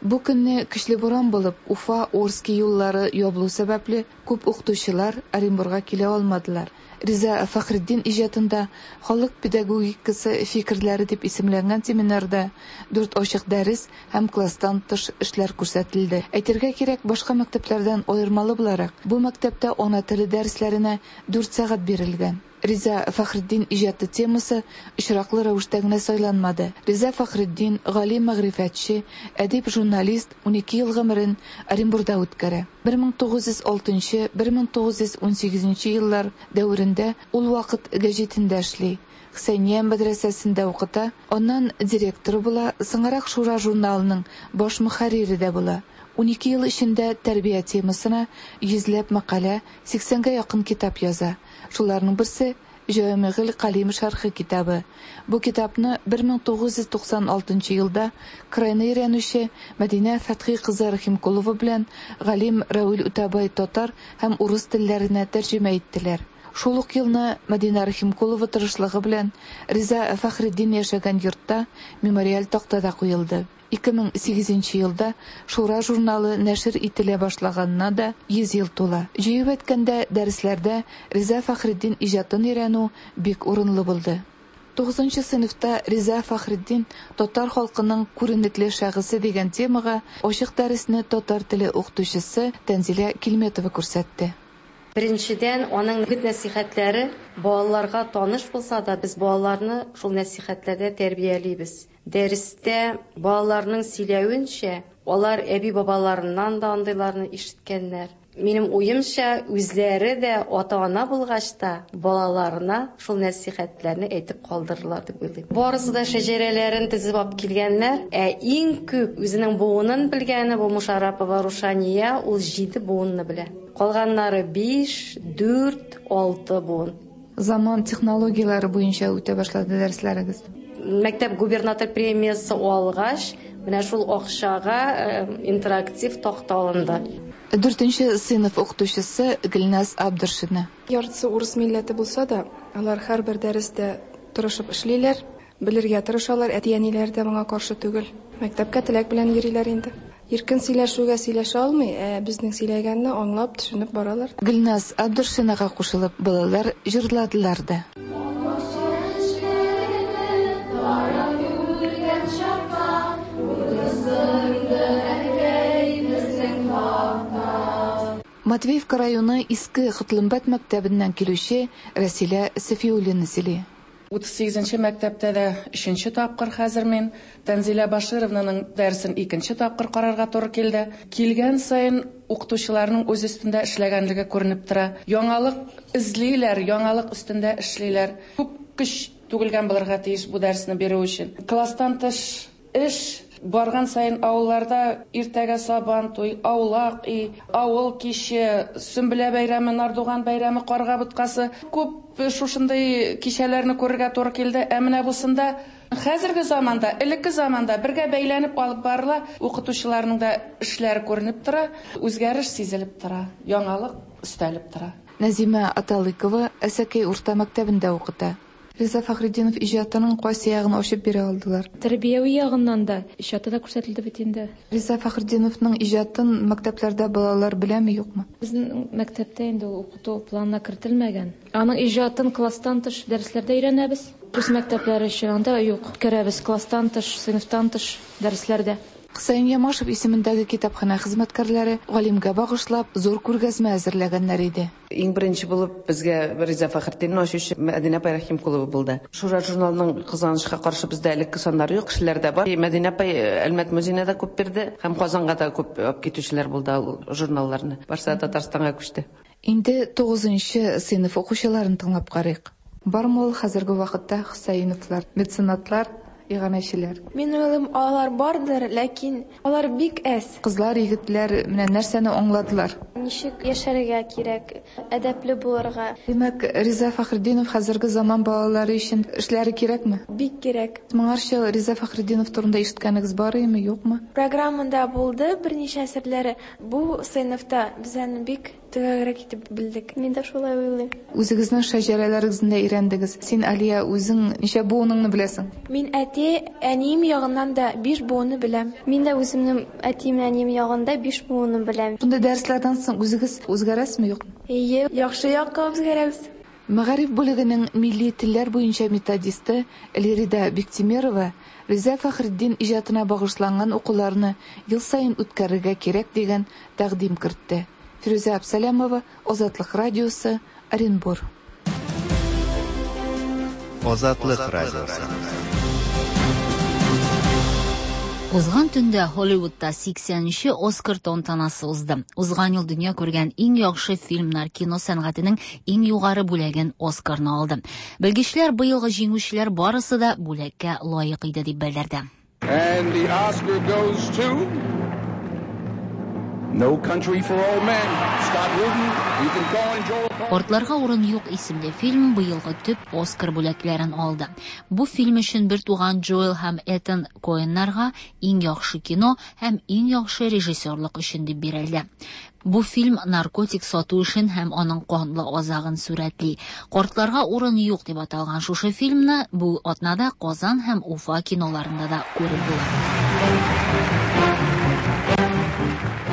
Бу көнне көчле буран булып, Уфа, Орски юллары ябылу сәбәпле, күп укытучылар Оренбурга килә алмадылар. Риза Фәхретдин иҗатында халык педагогикасы фикерләре дип исемләнгән семинарда дүрт ачык дәрес һәм класстан тыш эшләр күрсәтелде. Әйтергә кирәк, башка мәктәпләрдән аермалы буларак, бу мәктәптә ана теле дәресләренә дүрт сәгать бирелгән. Риза Фәхретдин иҗаты темасы очраклы рәвештә генә сайланмады. Риза Фәхретдин, галим мәгърифәтче, әдип, журналист, 12 ел гомерен Оренбурда үткәрә. 1906-1918 еллар дәверендә ул Вакыт гәҗитендә эшли. Хөсәения мәдрәсәсендә укыта, аннан директоры була, соңрак Шура журналының баш мөхәррире дә була. 12 ел эчендә тәрбия темасына йөзләп мәкалә, 80гә якын китап яза. Шуларның берсе Җәвамигыль Калим шәрхе китабы. Бу китапны 1996 елда крайны өйрәнүче Мәдинә Фәтхи кызы Рахимкулова белән галим Равил Үтәбай татар һәм урыс телләренә тәрҗемә иттеләр. Шул ук елны Мәдинә Рахимкулова тырышлыгы белән Риза Фәхретдин яшәгән йортта мемориаль такта да куелды. 2008 елда Шура журналы нәшер ителә башлаганына да 100 ел тула. Җыеп әйткәндә, дәресләрдә Риза Фәхретдин иҗатын өйрәнү бик урынлы булды. 9 сыйныфта Риза Фәхретдин татар халкының күренекле шәхесе дигән темага ачык дәресне татар теле укытучысы Тәнзилә Килметова күрсәтте. Беренчедән, аның үгет-нәсихәтләре балаларга таныш булса да, без балаларны шул нәсихәтләрдә тәрбиялибез. Дәрестә балаларның сөйләвенчә, алар әби-бабаларыннан да андыйларны ишеткәннәр. Минем уемча, үзләре дә ата-ана булгач та, балаларына шул нәсихәтләрне әйтеп калдырырлар дип уйлыйм. Барысы да шәҗәрәләрен тезеп алып килгәннәр, ә иң күп үзенең буынын белгәне бу Мушарапова Рушания, ул 7 буынны белә. Калганнары 5, 4, 6 буын. Заман технологияләре буенча үтә башлады дәресләрегез. Мәктәп губернатор премиясе алгач, менә шул акчага интерактив такта алынды. Дүртенче сыйныф укытучысы Гөлназ Абдыршина. Яртысы урыс милләте булса да, алар һәрбер дәрестә тырышып эшлиләр, белергә тырышалар, әти-әниләре дә моңа каршы түгел. Мәктәпкә теләк белән йөриләр инде. Иркен сөйләшүгә сөйләшә алмый, ә безнең сөйләгәнне аңлап, төшенеп баралар. Гөлназ Абдыршинага кушылып, балалар җырладылар да. Матвеевка районы Иске Котлымбәт мәктәбеннән килүче Рәсилә Сафиуллина сөйли. 38 нче мәктәптә дә өченче тапкыр хәзер мин Тәнзилә Башировнаның дәресен икенче тапкыр карарга туры килде. Килгән саен укытучыларның үз өстендә эшләгәнлеге күренеп тора. Яңалык эзлиләр, яңалык өстендә эшлиләр. Күп көч түгелгән булырга тиеш бу дәресне бирү өчен. Класстан тыш эш барган саен авылларда иртәгә сабан туй, аулак өй, авыл киче, Сөмбелә бәйрәме, Нардуган бәйрәме, карга боткасы. Күп шушындый кичәләрне күрергә туры килде. Ә менә бусында хәзерге заманда, элекке заманда бергә бәйләнеп алып барыла, укытучыларның да эшләре күренеп тора, үзгәреш сизелеп тора, яңалык өстәлеп тора. Нәзимә Аталыкова Әсәкәй урта мәктәбендә укыта. Риза Фәхретдинов иҗатының кайсы ягын ачып бирә алдылар? Тәрбияви ягыннан да, иҗаты да күрсәтелде бит инде. Риза Фәхретдиновның иҗатын мәктәпләрдә балалар беләме, юкмы? Безнең мәктәптә инде ул укыту планына кертелмәгән. Аның иҗатын класстан тыш дәресләрдә өйрәнәбез. Рус мәктәпләре өчен анда юк. Үткәрәбез класстан тыш, сыйныфтан тыш дәресләрдә. Хөсәен Ямашев исемендәге китапханә хезмәткәрләре галимгә багышлап зур күргәзмә әзерләгәннәр иде. Иң беренче булып безгә Риза Фәхретдинне ачучы Мәдинә апай Рәхимкулова булды. Шура журналының кызганычка каршы бездә элекке саннары юк, кешеләрдә бар. Мәдинә апай Әлмәт музеена да күп бирде һәм Казанга да күп алып китүчеләр булды ул журналларны. Барсы да Татарстанга күчте. Инде тугызынчы сыйныф укучыларын тыңлап карыйк. Бармы ул хәзерге вакытта Хөсәеновлар, меценатлар, иганәчеләр? Мин уйлыйм, алар бардыр, ләкин алар бик әз. Кызлар, егетләр менә нәрсәне аңладылар? Ничек яшәргә кирәк, әдәпле булырга. Димәк, Риза Фәхретдинов хәзерге заман балалары өчен эшләре кирәкме? Бик кирәк. Моңарчы Риза Фәхретдинов турында ишеткәнегез бар иеме, юкмы? Программада булды берничә әсәрләре. Бу сыйныфта без аны бик Төгәлрәк итеп белдек. Мин дә шулай уйлыйм. Үзегезнең шәҗәрәләрегезне дә өйрәндегез. Син, Алия, үзең ничә буыныңны беләсең? Мин әти, әнием ягыннан да биш буынны беләм. Мин дә үземнең әтием, әнием ягында биш буынны беләм. Шундый дәресләрдән соң үзегез үзгәрәсезме, юкмы? Әйе, яхшы якка үзгәрәбез. Мәгариф бүлегенең милли телләр буенча методисты Лирида Биктимерова Риза Фәхретдин иҗатына багышланган укуларны ел саен үткәрергә кирәк дигән тәкъдим кертте. Фирүзә Абсалямова, Азатлык радиосы, Оренбур. Азатлык радиосы. Узган төндә Һолливудта 80 нче Оскар тантанасы узды. Узган ел дөнья күргән иң яхшы фильмнар кино сәнгатенең иң югары бүләген Оскарны алды. Белгечләр быелгы җиңүчеләр барысы да бүләккә лаек иде дип белдерде. And the Oscar goes to No Country for Old Men. Scott Rudin, Ethan Coen, Joel Coen. Картларга урын юк исемле фильм быелгы төп Оскар бүләкләрен алды. Бу фильм өчен бертуган Джоэл һәм Этан Коэннарга иң яхшы кино һәм иң яхшы режиссерлык өчен дип бирелде. Бу фильм наркотик сату эшен һәм аның канлы азагын сурәтли. Картларга урын юк дип аталган шушы фильмны бу атнада Казан һәм Уфа киноларында да күреп була.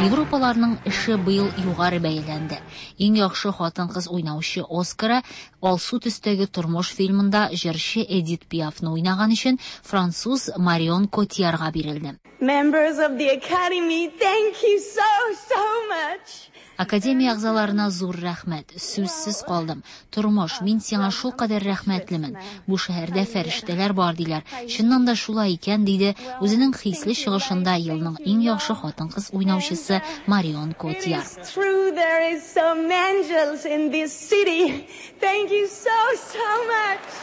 Европаларның эше быел югары бәяләнде. Иң яхшы хатын-кыз уйнаучы Оскары Алсу төстәге тормыш фильмында җырчы Эдит Пиафны уйнаган өчен француз Марион Котиярга бирелде. Members of the Academy, thank you so, so much. Академия әгъзаларына зур рәхмәт. Сүзсез калдым. Тормыш, мин сиңа шулкадәр рәхмәтлемен. Бу шәһәрдә фәрештәләр бар, диләр. Чыннан да шулай икән, диде үзенең хисле чыгышында елның иң яхшы хатын-кыз уйнаучысы Марион Котияр. It is true there is some angels in this city. Thank you so, so much.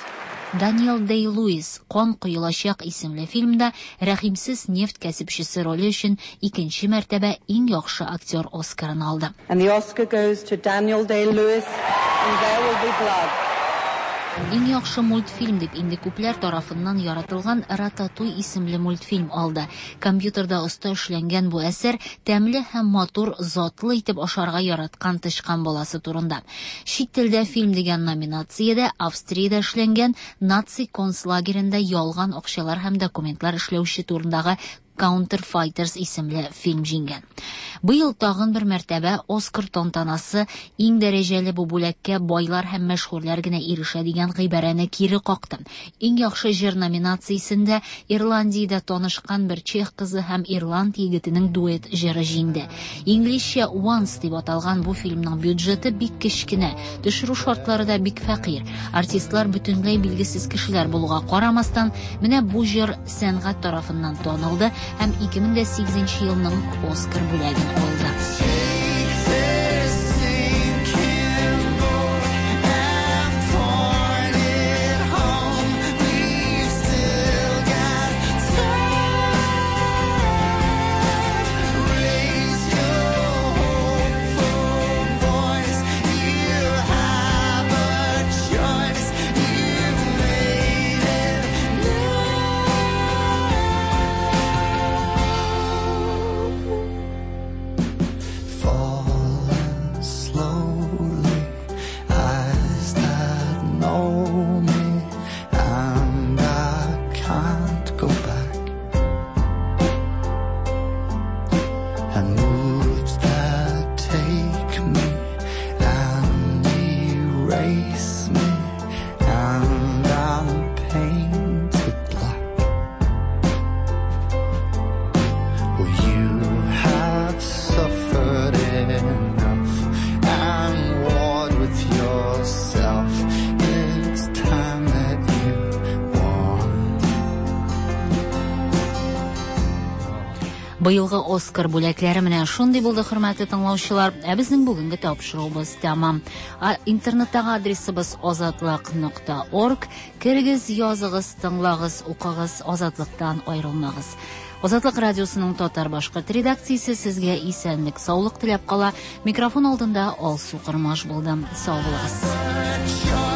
Даниэл Дэй-Луис Кан коелачак исемле фильмда рәхимсез нефть кәсепчесе роле өчен икенче мәртәбә иң яхшы актер Оскарын алды. And the Oscar goes to Daniel Day-Lewis in There Will Be Blood. Иң яхшы мультфильм дип инде күпләр тарафыннан яратылган Рататуй исемле мультфильм алды. Компьютерда оста эшләнгән бу әсәр тәмле һәм матур, затлы итеп ашарга яраткан тычкан баласы турында. Чит телдә фильм дигән номинациядә Австриядә эшләнгән наци концлагеренда ялган акчалар һәм документлар эшләүче турындагы Counterfighters исемле фильм җиңгән. Быел тагын бер мәртәбә Оскар тантанасы иң дәрәҗәле бу бүләккә байлар һәм мәшһүрләр генә ирешә дигән гыйбарәне кире какты. Иң яхшы җыр номинациясендә Ирландиядә танышкан бер чех кызы һәм ирланд егетенең дуэт җыры җиңде. Инглизчә Once дип аталган бу фильмның бюджеты бик кечкенә, төшерү шартлары да бик фәкыйрь. Артистлар бөтенләй билгесез кешеләр булуга карамастан, менә бу җыр сәнгать тарафыннан танылды һәм 2008 елның Оскар бүләген алды. And moods that take me and erase me and I'm painted black. Well, you have suffered enough and warred with yourself. It's time that you won. Быелгы Оскар бүләкләре менә шундый булды, хөрмәтле тыңлаучылар. Ә безнең бүгенге тапшыруыбыз тәмам. Интернеттагы адресыбыз азатлык.орг. Керегез, языгыз, тыңлагыз, укыгыз, Азатлыктан аерылмагыз. Азатлык радиосының татар башкорт редакциясе сезгә исәнлек, саулык теләп кала. Микрофон алдында Алсу Кормаш булды. Сау булыгыз.